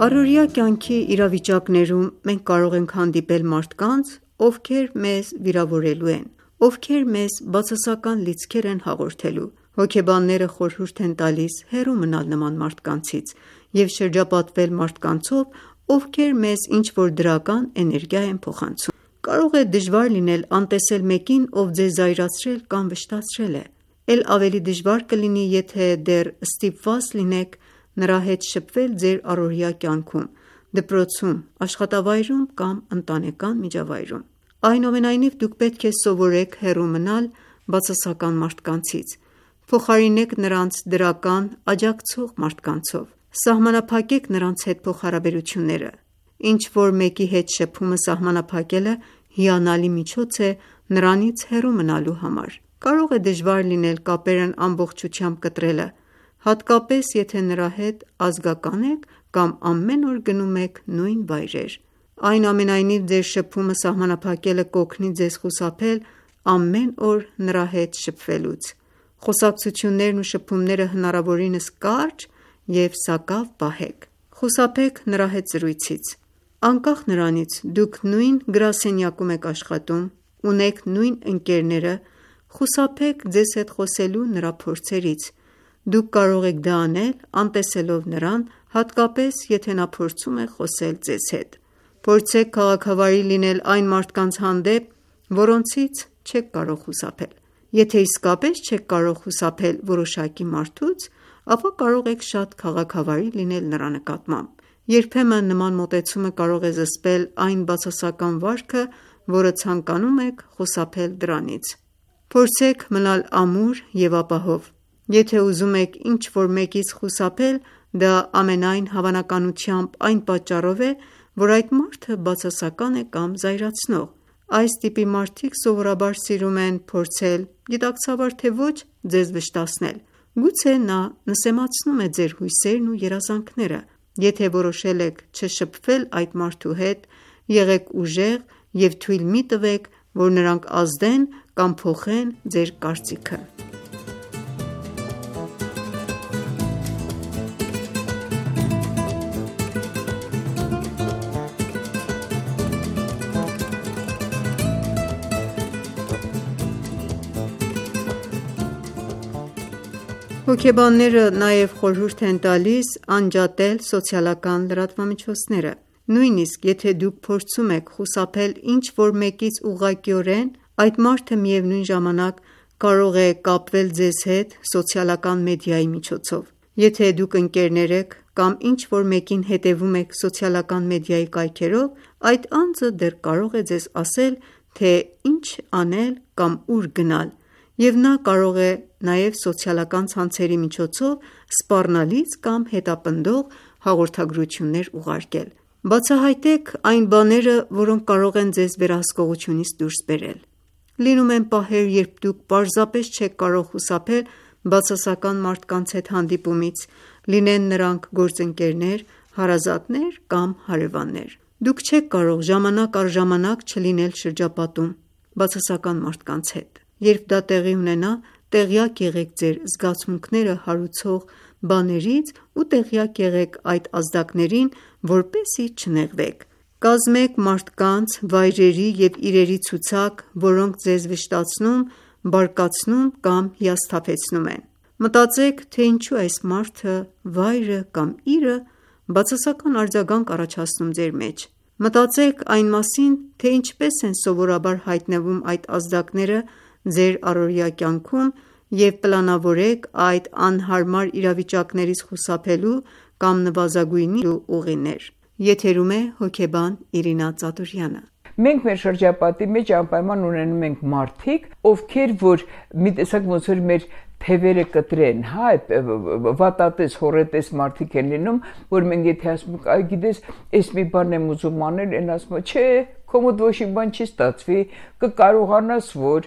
Առօրյա կյանքի իրավիճակներում մենք կարող ենք հանդիպել մարդկանց, ովքեր մեզ վիրավորելու են, ովքեր մեզ բացասական լիցքեր են հաղորդելու։ Հոգեբանները խորհուրդ են տալիս հեռու մնալ նման մարդկանցից և շրջապատվել մարդկանցով, ովքեր մեզ ինչ-որ դրական էներգիա են փոխանցում։ Կարող է դժվար լինել անտեսել մեկին, ով ձեզ զայրացրել կամ վշտացրել է։ Էլ ավելի դժվար կլինի, եթե դեռ ստիպված լինեք նրա հետ շփվել ձեր առօրյա կյանքում, դպրոցում, աշխատավայրում կամ ընտանեկան միջավայրում։ Այնուամենայնիվ դուք պետք է սովորեք հեռու մնալ բացասական մարդկանցից, փոխարինեք նրանց դրական, աջակցող մարդկանցով, սահմանափակեք նրանց հետ փոխհարաբերությունները։ Ինչ-որ մեկի հետ շփումը սահմանափակելը հիանալի միջոց է նրանից հեռու մնալու համար։ Կարող է դժվար լինել կապերն ամբողջությամբ կտրելը, հատկապես եթե նրա հետ ազգական եք կամ ամեն օր գնում եք նույն վայրեր։ Այնուամենայնիվ ձեր շփումը սահմանափակելը կօգնի ձեզ խուսափել ամեն օր նրա հետ շփվելուց։ Խոսակցություններն ու շփումները հնարավորինս կարճ և սակավ պահեք։ Խուսափեք նրա հետ զրույցից։ Անկախ նրանից դուք նույն գրասենյակում եք աշխատում, ունեք նույն ընկերները, խուսափեք ձեզ հետ խոսելու նրա փորձերից։ Դուք կարող եք դա անել անտեսելով նրան, հատկապես եթե նա փորձում է խոսել ձեզ հետ։ Փորձեք քաղաքավարի լինել այն մարդկանց հանդեպ, որոնցից չեք կարող խուսափել։ Եթե իսկապես չեք կարող խուսափել որոշակի մարդուց, ապա կարող եք շատ քաղաքավարի լինել նրա նկատմամբ։ Երբեմն նման մոտեցումը կարող է զսպել այն բացասական վարքը, որը ցանկանում եք խուսափել դրանից։ Փորձեք մնալ ամուր և ապահով։ Եթե ուզում եք ինչ-որ մեկից խուսափել, դա ամենայն հավանականությամբ այն պատճառով է, որ այդ մարդը բացասական է կամ զայրացնող։ Այս տիպի մարդիկ սովորաբար սիրում են փորձել, գիտակցաբար թե ոչ, ձեզ վշտացնել։ Գուցե նա նսեմացնում է ձեր հույսերն ու երազանքները, Եթե որոշել եք չշփվել այդ մարդու հետ, եղեք ուժեղ և թույլ մի տվեք, որ նրանք ազդեն կամ փոխեն ձեր կարծիքը: Հոգեբանները նաև խորհուրդ են տալիս անջատել սոցիալական լրատվամիջոցները: Նույնիսկ եթե դուք փորձում եք խուսափել ինչ-որ մեկից ուղղակիորեն, այդ մարդը միևնույն ժամանակ կարող է կապվել ձեզ հետ սոցիալական մեդիայի միջոցով: Եթե դուք ընկերներ եք կամ ինչ-որ մեկին հետևում եք սոցիալական մեդիայի կայքերով, այդ անձը դեռ կարող է ձեզ ասել, թե ինչ անել կամ ուր գնալ, և նա կարող է նաև սոցիալական ցանցերի միջոցով սպառնալից կամ հետապնդող հաղորդագրություններ ուղարկել: Բացահայտեք այն բաները, որոնք կարող են ձեզ վերահսկողությունից դուրս բերել: Լինում են պահեր, երբ դուք պարզապես չեք կարող խուսափել բացասական մարդկանց հետ հանդիպումից, լինեն նրանք գործընկերներ, հարազատներ կամ հարևաններ: Դուք չեք կարող ժամանակ առ ժամանակ չլինել շրջապատում բացասական մարդկանց հետ: Երբ դա տեղի ունենա, տեղյակ եղեք ձեր զգացմունքները հարուցող բաներից ու տեղյակ եղեք այդ ազդակներին, որպեսզի չնեղվեք: Կազմեք մարդկանց, վայրերի և իրերի ցուցակ, որոնք ձեզ վշտացնում, բարկացնում կամ հիասթափեցնում են: Մտածեք, թե ինչու այս մարդը, վայրը կամ իրը բացասական արձագանք առաջացնում ձեր մեջ: Մտածեք այն մասին, թե ինչպես են սովորաբար հայտնվում այդ ազդակները ձեր առօրյա կյանքում և պլանավորեք այդ անհարմար իրավիճակներից խուսափելու կամ նվազագույնի ուղիներ: Եթերում է հոգեբան Իրինա Ծատուրյանը: Մենք մեր շրջապատի մեջ անպայման ունենում ենք մարդիկ, ովքեր որ մի տեսակ ոնց որ մեր թևերը կտրեն, վատատես, հոռետես մարդիկ են լինում, որ մենք եթե ասում ենք, այ գիտես, էս մի բան եմ ուզում անել, են ասում է, չէ, քո մոտ ոչ մի բան չի ստացվի, կկարողանաս որ,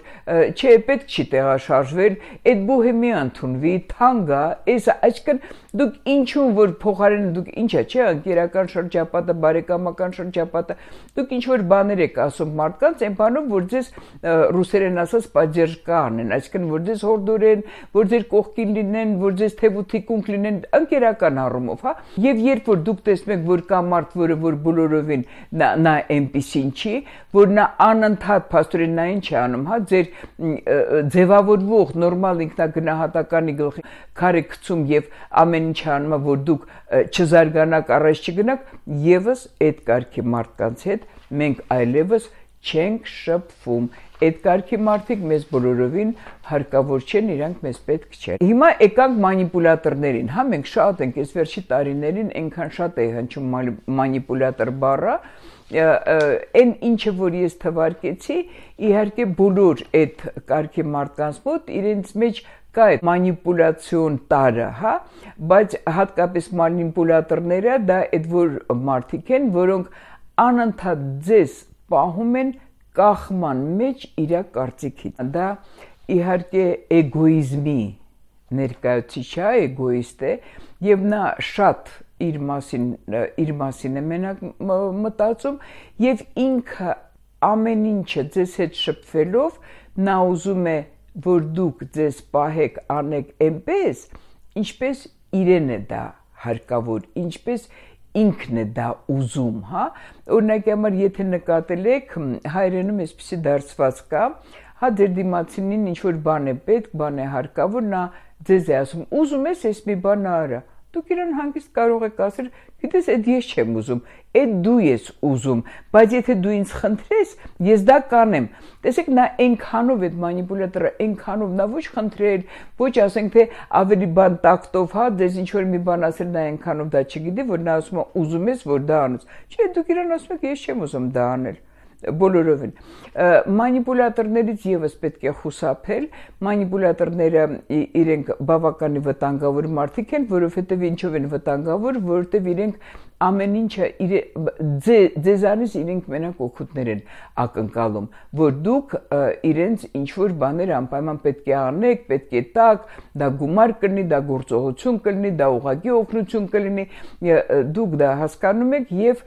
չէ, պետք չի տեղաշարժվել, այդ բուհը մի ընդունվի, թանկ ա, այսինքն դուք ինչու որ փոխարենը դուք ինչա, չէ, ընկերական շրջապատը, բարեկամական շրջապատը, դուք ինչ որ բաներ եք ասում մարդկանց, այն բանով որ ձեզ ռուսերեն ասած поддержка անեն, այսինքն որ ձեզ հորդորեն, որ ձեր կողքին լինեն, որ ձեզ թևութիկունք լինեն, ընկերական առումով, եւ երբ որ դուք տեսնում եք, որ կա մարդ, որը որ բոլորովին նա այնպիսին չի, որ նա անընդհատ փաստորեն նա ինչ է անում, ձեր ձևավորվող նորմալ ինքնագնահատականի գլխի քարը գցում եւ ամեն ինչ անում, որ դուք չզարգանաք, առաջ չգնաք, եւս այդ կարգի մարդկանց հետ մենք այլևս չենք շփվում: Այդ կարգի մարդիկ մեզ բոլորովին հարկավոր չեն, իրանք մեզ պետք չեն: Հիմա եկանք մանիպուլատորներին, մենք շատ ենք, այս վերջի տարիներին այնքան շատ է հնչում մանիպուլատոր բառը, այն ինչը որ ես թվարկեցի, իհարկե բոլոր այդ կարգի մարդկանց մոտ իրենց մեջ կա այդ մանիպուլյացիոն տարը, բայց հատկապես մանիպուլատորները դա այդ որ մարդիկ են, որոնք անընդհատ ձեզ պահում են կախման մեջ իր կարծիքից: Դա իհարկե էգոիզմի ներկայացուցիչ է, էգոիստ է եւ նա շատ իր մասին է մենակ մտածում եւ ինքը ամեն ինչը ձեզ հետ շփվելով նա ուզում է որ դուք ձեզ պահեք, անեք այնպես, ինչպես իրեն է դա հարկավոր, ինչպես ինքն է դա ուզում, օրինակի համար եթե նկատել եք հայերենում այսպիսի դարձված կա, ձեր դիմացինին ինչ որ բան է պետք, բան է հարկավոր, նա ձեզ է ասում, ուզում ես այս մի բան արա, դուք իրան հանգիստ կարող եք ասել, գիտես, այդ ես չեմ ուզում, այդ դու ես ուզում, բայց եթե դու ինձ խնդրես, ես դա կանեմ: Տեսեք, նա այնքանով այդ մանիպուլատորը, այնքանով նա ոչ խնդրել, ոչ ասենք թե ավելի բան տակտով, ձեզ ինչ որ մի բան ասել, նա այնքանով դա չգիտի, որ նա ասում է ուզում ես որ դա անես, չէ, դուք իրան ասում եք ես չեմ ուզում դա անել: Բոլորովին մանիպուլատորներից եւս պետք է խուսափել, մանիպուլատորները իրենք բավականին վտանգավոր մարդիկ են, որովհետեւ ինչով են վտանգավոր, որովհետեւ իրենք ամեն ինչը ձեզանից իրենք մենակ օգուտներ են ակնկալում, որ դուք իրենց ինչ-որ բաներ անպայման պետք է անեք, պետք է տաք, դա գումար կլինի, դա գործողություն կլինի, դա ուղղակի օգնություն կլինի, դուք դա հասկանում եք եւ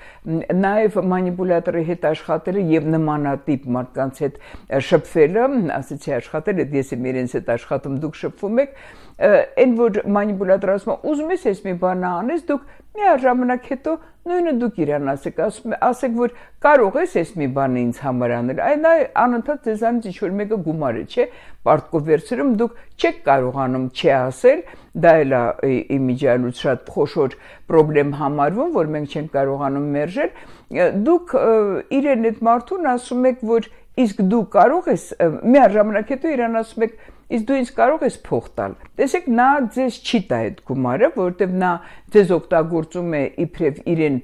նաեւ մանիպուլյատորի հետ աշխատելը եւ նմանատիպ մարդկանց հետ շփվելը, ասեցի աշխատել, ես եմ իրենց հետ աշխատում, դուք շփվում եք, այն որ մանիպուլյատորը ասում է, ուզում ես այս մի բան անես, դուք միաժամանակ հետո նույնը դուք իրան ասեք, որ կարող ես այս մի բանը ինձ համար անել, այն անընդհատ ձեզանից ինչ-որ մեկը գումարը, չէ, պարտքով վերցրում, դուք չեք կարողանում չասել, դա էլ է իմիջիալուց շատ խոշոր պրոբլեմ համարվում, որ մենք չենք կարողանում մերժել, դուք իրեն այդ մարդուն ասում եք, որ իսկ դու կարող ես, միաժամանակ հետո իրան ասում եք, իսկ դու ինձ կարող ես փող տալ։ Տեսեք, նա ձեզ չի տա այդ գումարը, որովհետև նա ձեզ օգտագործում է իբրև իրեն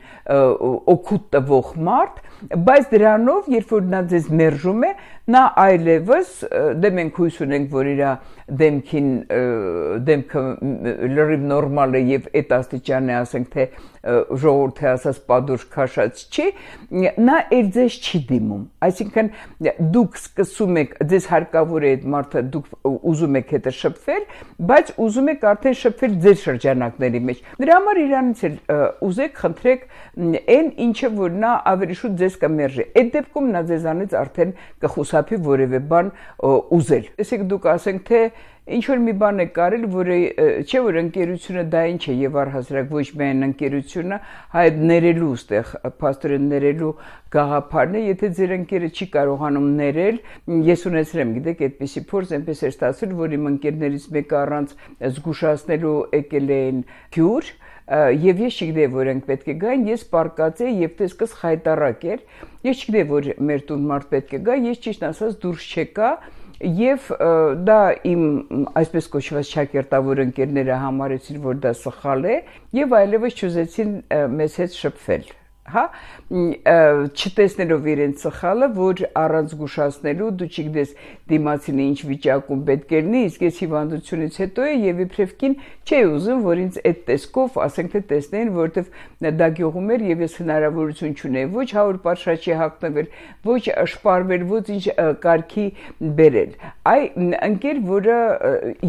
օգուտ տվող մարդ, բայց դրանով, երբ որ նա ձեզ մերժում է, նա այլևս դե մենք հույս ունենք, որ իր դեմքը լրիվ նորմալ է եւ այդ աստիճան է, ասենք թե ժողովրդի ասած պատուր քաշած չի, նա էլ ձեզ չի դիմում, այսինքն դուք սկսում եք, ձեզ հարկավոր է այդ մարդը, դուք ուզում եք հետը շփվել, բայց ուզում եք արդեն շփվել ձեր շրջանակների մեջ, դրա համար իրանից էլ ուզեք, խնդրեք այն ինչը, որ նա ավելի շուտ ձեզ կմերժի, այդ դեպքում նա ձեզանից արդեն կխուսափի որևէ բան ուզել, տեսեք դուք ասենք թե ինչ-որ մի բան է կարել, որ չէ, որ ընկերությունը դա ինչ է եւ առհասարակ ոչ միայն ընկերությունը, հայտ ներելու ստեղ, փաստորեն ներելու գաղափարն է, եթե ձեր ընկերը չի կարողանում ներել, ես ունեցել եմ, գիտեք, այդպիսի փորձ, այնպես էր ստացվել, որ իմ ընկերներից մեկը առանց զգուշացնելու եկել էին գյուր, եւ ես չգիտեի, որ ենք պետք է գային, ես պարկած էի եւ տեսքս խայտարակ էր, ես չգիտեի, որ մեր տուն մարդ պետք է գա, ես ճիշտ ասած դուրս չեկա եւ դա իմ այսպես կոչված շակերտավոր ընկերները համարեցին, որ դա սխալ է եւ այլևս չուզեցին մեզ հետ շփվել, հա, չտեսնելով իրենց սխալը, որ առանց զգուշացնելու դու չգիտես դիմացին ինչ վիճակում պետք է լինի, իսկ ես հիվանդությունից հետո է եւ իբրև կին չէի ուզում, որ ինձ այդ տեսքով, ասենք թե տեսնեին, որովհետեւ դա գյուղում էր եւ ես հնարավորություն չունեի ոչ հավոր պատշաճի հագնվել, ոչ շպարվել, ոչ ինչ կարգի բերել։ Այ ընկեր, որը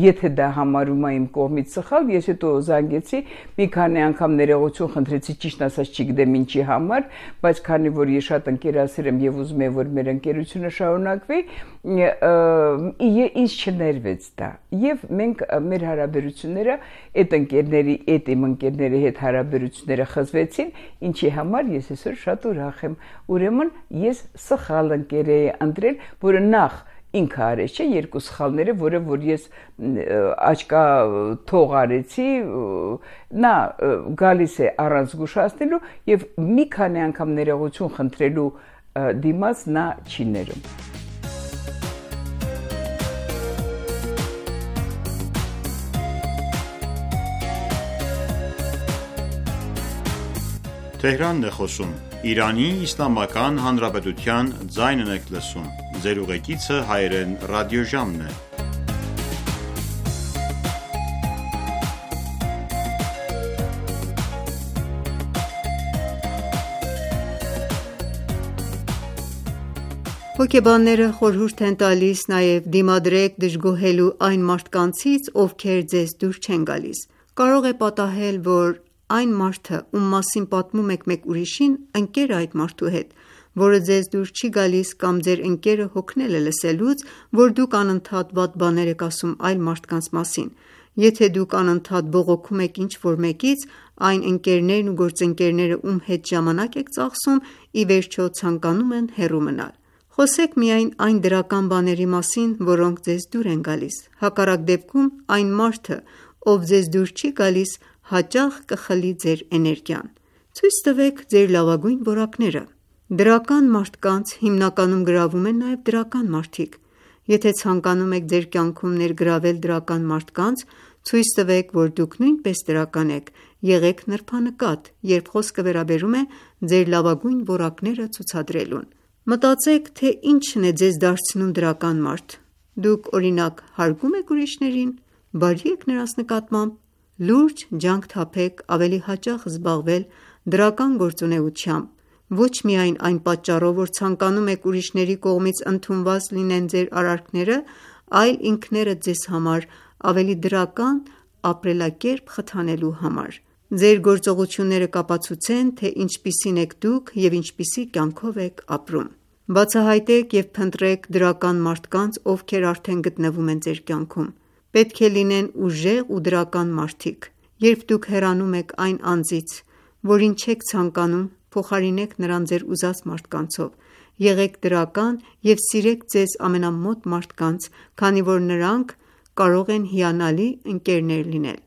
եթե դա համարում է իմ կողմից սխալ, ես հետո զանգեցի, մի քանի անգամ ներողություն խնդրեցի, ճիշտ ասած չգիտեմ ինչի համար, բայց քանի որ ես շատ ընկերասեր եմ եւ ուզում եմ, որ մեր ընկերությունը շարունակվի, ինձ չներվեց դա։ Եվ մենք մեր հարաբերությունները այդ իմ ընկերների հետ հարաբերությունները խզվեցին, ինչի համար ես այսօր շատ ուրախ եմ։ Ուրեմն ես սխալ ընկեր էի ընտրել, որը նախ ինքը արեց, չէ, երկու սխալները, որը որ ես աչկա թող արեցի, նա գալիս է առանց զգուշացնելու եւ մի քանի անգամ ներողություն խնդրելու դիմաց նա չի ներում։ Թեհրանն է խոսում, Իրանի Իսլամական Հանրապետության ձայնն եք լսում, ձեր ուղեկիցը հայրեն ռադիոժամն է։ Հոգեբանները խորհուրդ են տալիս նաև դիմադրեք դժգոհելու այն մարդկանցից, ովքեր ձեզ դուր չեն գալիս։ Կարող է պատահել, որ այն մարդը, ում մասին պատմում եք մեկ ուրիշին, ընկեր է այդ մարդու հետ, որը ձեզ դուր չի գալիս, կամ ձեր ընկերը հոգնել է լսելուց, որ դուք անընդհատ վատ բաներ եք ասում այլ մարդկանց մասին։ Եթե դուք անընդհատ բողոքում եք ինչ-որ մեկից, այն ընկերներն ու գործընկերները, ում հետ ժամանակ եք ծախսում, ի վերջո ցանկանում են հեռու մնալ։ Խոսեք միայն այն դրական բաների մասին, որոնք ձեզ դուր են գալիս։ Հակառակ դեպքում այն մարդը, ով ձեզ դուր չի գալիս, հաճախ կխլի ձեր էներգիան։ Ցույց տվեք ձեր լավագույն որակները։ Դրական մարդկանց հիմնականում գրավում են նաև դրական մարդիկ։ Եթե ցանկանում եք ձեր կյանքում ներգրավել դրական մարդկանց, ցույց տվեք, որ դուք նույնպես դրական եք, եղեք նրբանկատ, երբ խոսքը վերաբերում է ձեր լավագույն որակները ցուցադրելուն։ Մտածեք, թե ինչն է ձեզ դարձնում դրական մարդ։ Դուք օրինակ հարգում եք ուրիշներին, բարի եք նրանց նկատմամբ, լուրջ ջանք թափեք ավելի հաճախ զբաղվել դրական գործունեությամբ, ոչ միայն այն պատճառով, որ ցանկանում եք ուրիշների կողմից ընդունված լինեն ձեր արարքները, այլ ինքներդ ձեզ համար ավելի դրական ապրելակերպ խթանելու համար։ Ձեր գործողությունները կապացուցեն, թե ինչպիսին եք դուք և ինչպիսի կյանքով եք ապրում։ Բացահայտեք և փնտրեք դրական մարդկանց, ովքեր արդեն գտնվում են ձեր կյանքում։ Պետք է լինեն ուժեղ ու դրական մարդիկ։ Երբ դուք հեռանում եք այն անձից, որին չեք ցանկանում, փոխարինեք նրան ձեր ուզած մարդկանցով։ Եղեք դրական և սիրեք ձեզ ամենամոտ մարդկանց, քանի որ նրանք կարող են հիանալի ընկերներ լինել։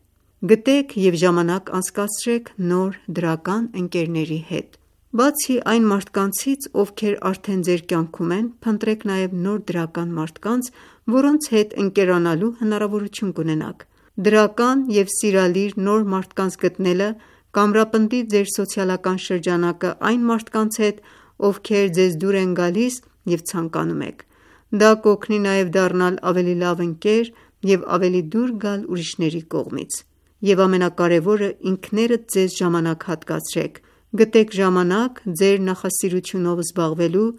Գտեք և ժամանակ անցկացրեք նոր դրական ընկերների հետ։ Բացի այն մարդկանցից, ովքեր արդեն ձեր կյանքում են, փնտրեք նաև նոր դրական մարդկանց, որոնց հետ ընկերանալու հնարավորություն կունենաք։ Դրական և սիրալիր նոր մարդկանց գտնելը կամրապնդի ձեր սոցիալական շրջանակը այն մարդկանց հետ, ովքեր ձեզ դուր են գալիս և ցանկանում եք։ Դա կօգնի նաև դառնալ ավելի լավ ընկեր և ավելի դուր գալ ուրիշների կողմից։ Եվ ամենակարևորը, ինքներդ ձեզ ժամանակ հատկացրեք։ Գտեք ժամանակ ձեր նախասիրությունով զբաղվելու,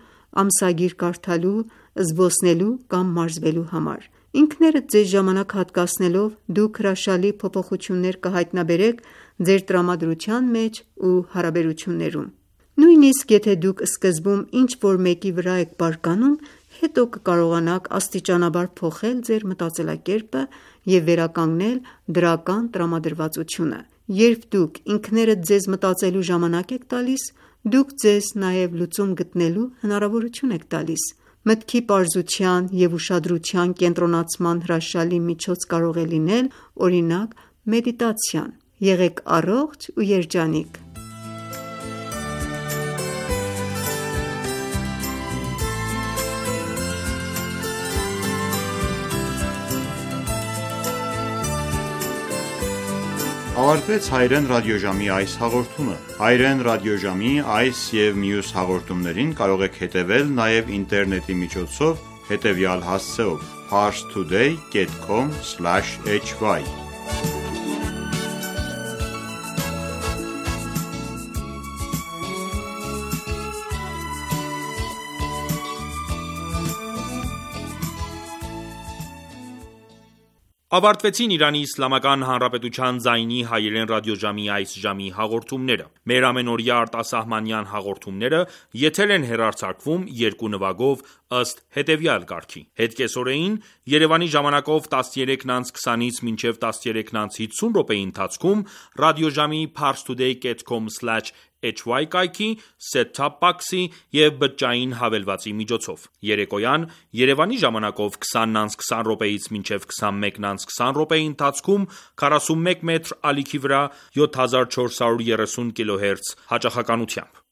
ամսագիր կարդալու, զբոսնելու կամ մարզվելու համար։ Ինքներդ ձեզ ժամանակ հատկացնելով դուք հրաշալի փոփոխություններ կհայտնաբերեք ձեր տրամադրության մեջ ու հարաբերություններում։ Նույնիսկ եթե դուք սկզբում ինչ-որ մեկի վրա եք բարկանում, հետո կկարողանաք աստիճանաբար փոխել ձեր մտածելակերպը և վերականգնել դրական տրամադրվածությունը։ Երբ դուք ինքներդ ձեզ մտածելու ժամանակ եք տալիս, դուք ձեզ նաև լուծում գտնելու հնարավորություն եք տալիս։ Մտքի պարզության և ուշադրության կենտրոնացման հրաշալի միջոց կարող է լինել, օրինակ, մեդիտացիան։ Եղեք առողջ ու երջանիկ։ Ավարտվեց Հայրեն ռադիոժամի այս հաղորդումը։ Հայրեն ռադիոժամի այս և մյուս հաղորդումներին կարող եք հետևել նաև ինտերնետի միջոցով հետևյալ հասցեով՝ parstoday.com/hy Ավարտվեցին Իրանի Իսլամական Հանրապետության ձայնի հայերեն ռադիոժամի այս ժամի հաղորդումները։ Մեր ամենօրյա արտասահմանյան հաղորդումները եթեր են հեռարձակվում երկու նվագով ըստ հետևյալ կարգի։ Հետկեսօրեին Երևանի ժամանակով 13:20-ից մինչև 13:50 րոպեի ընթացքում ռադիոժամի parstoday.com/hy կայքի, set-top box-ի և բջջային հավելվածի միջոցով։ Երեկոյան Երևանի ժամանակով 20:20 րոպեից մինչև 21:20 րոպեի ընթացքում 41 մետր ալիքի վրա 7430 կՀz հաճախականությամբ։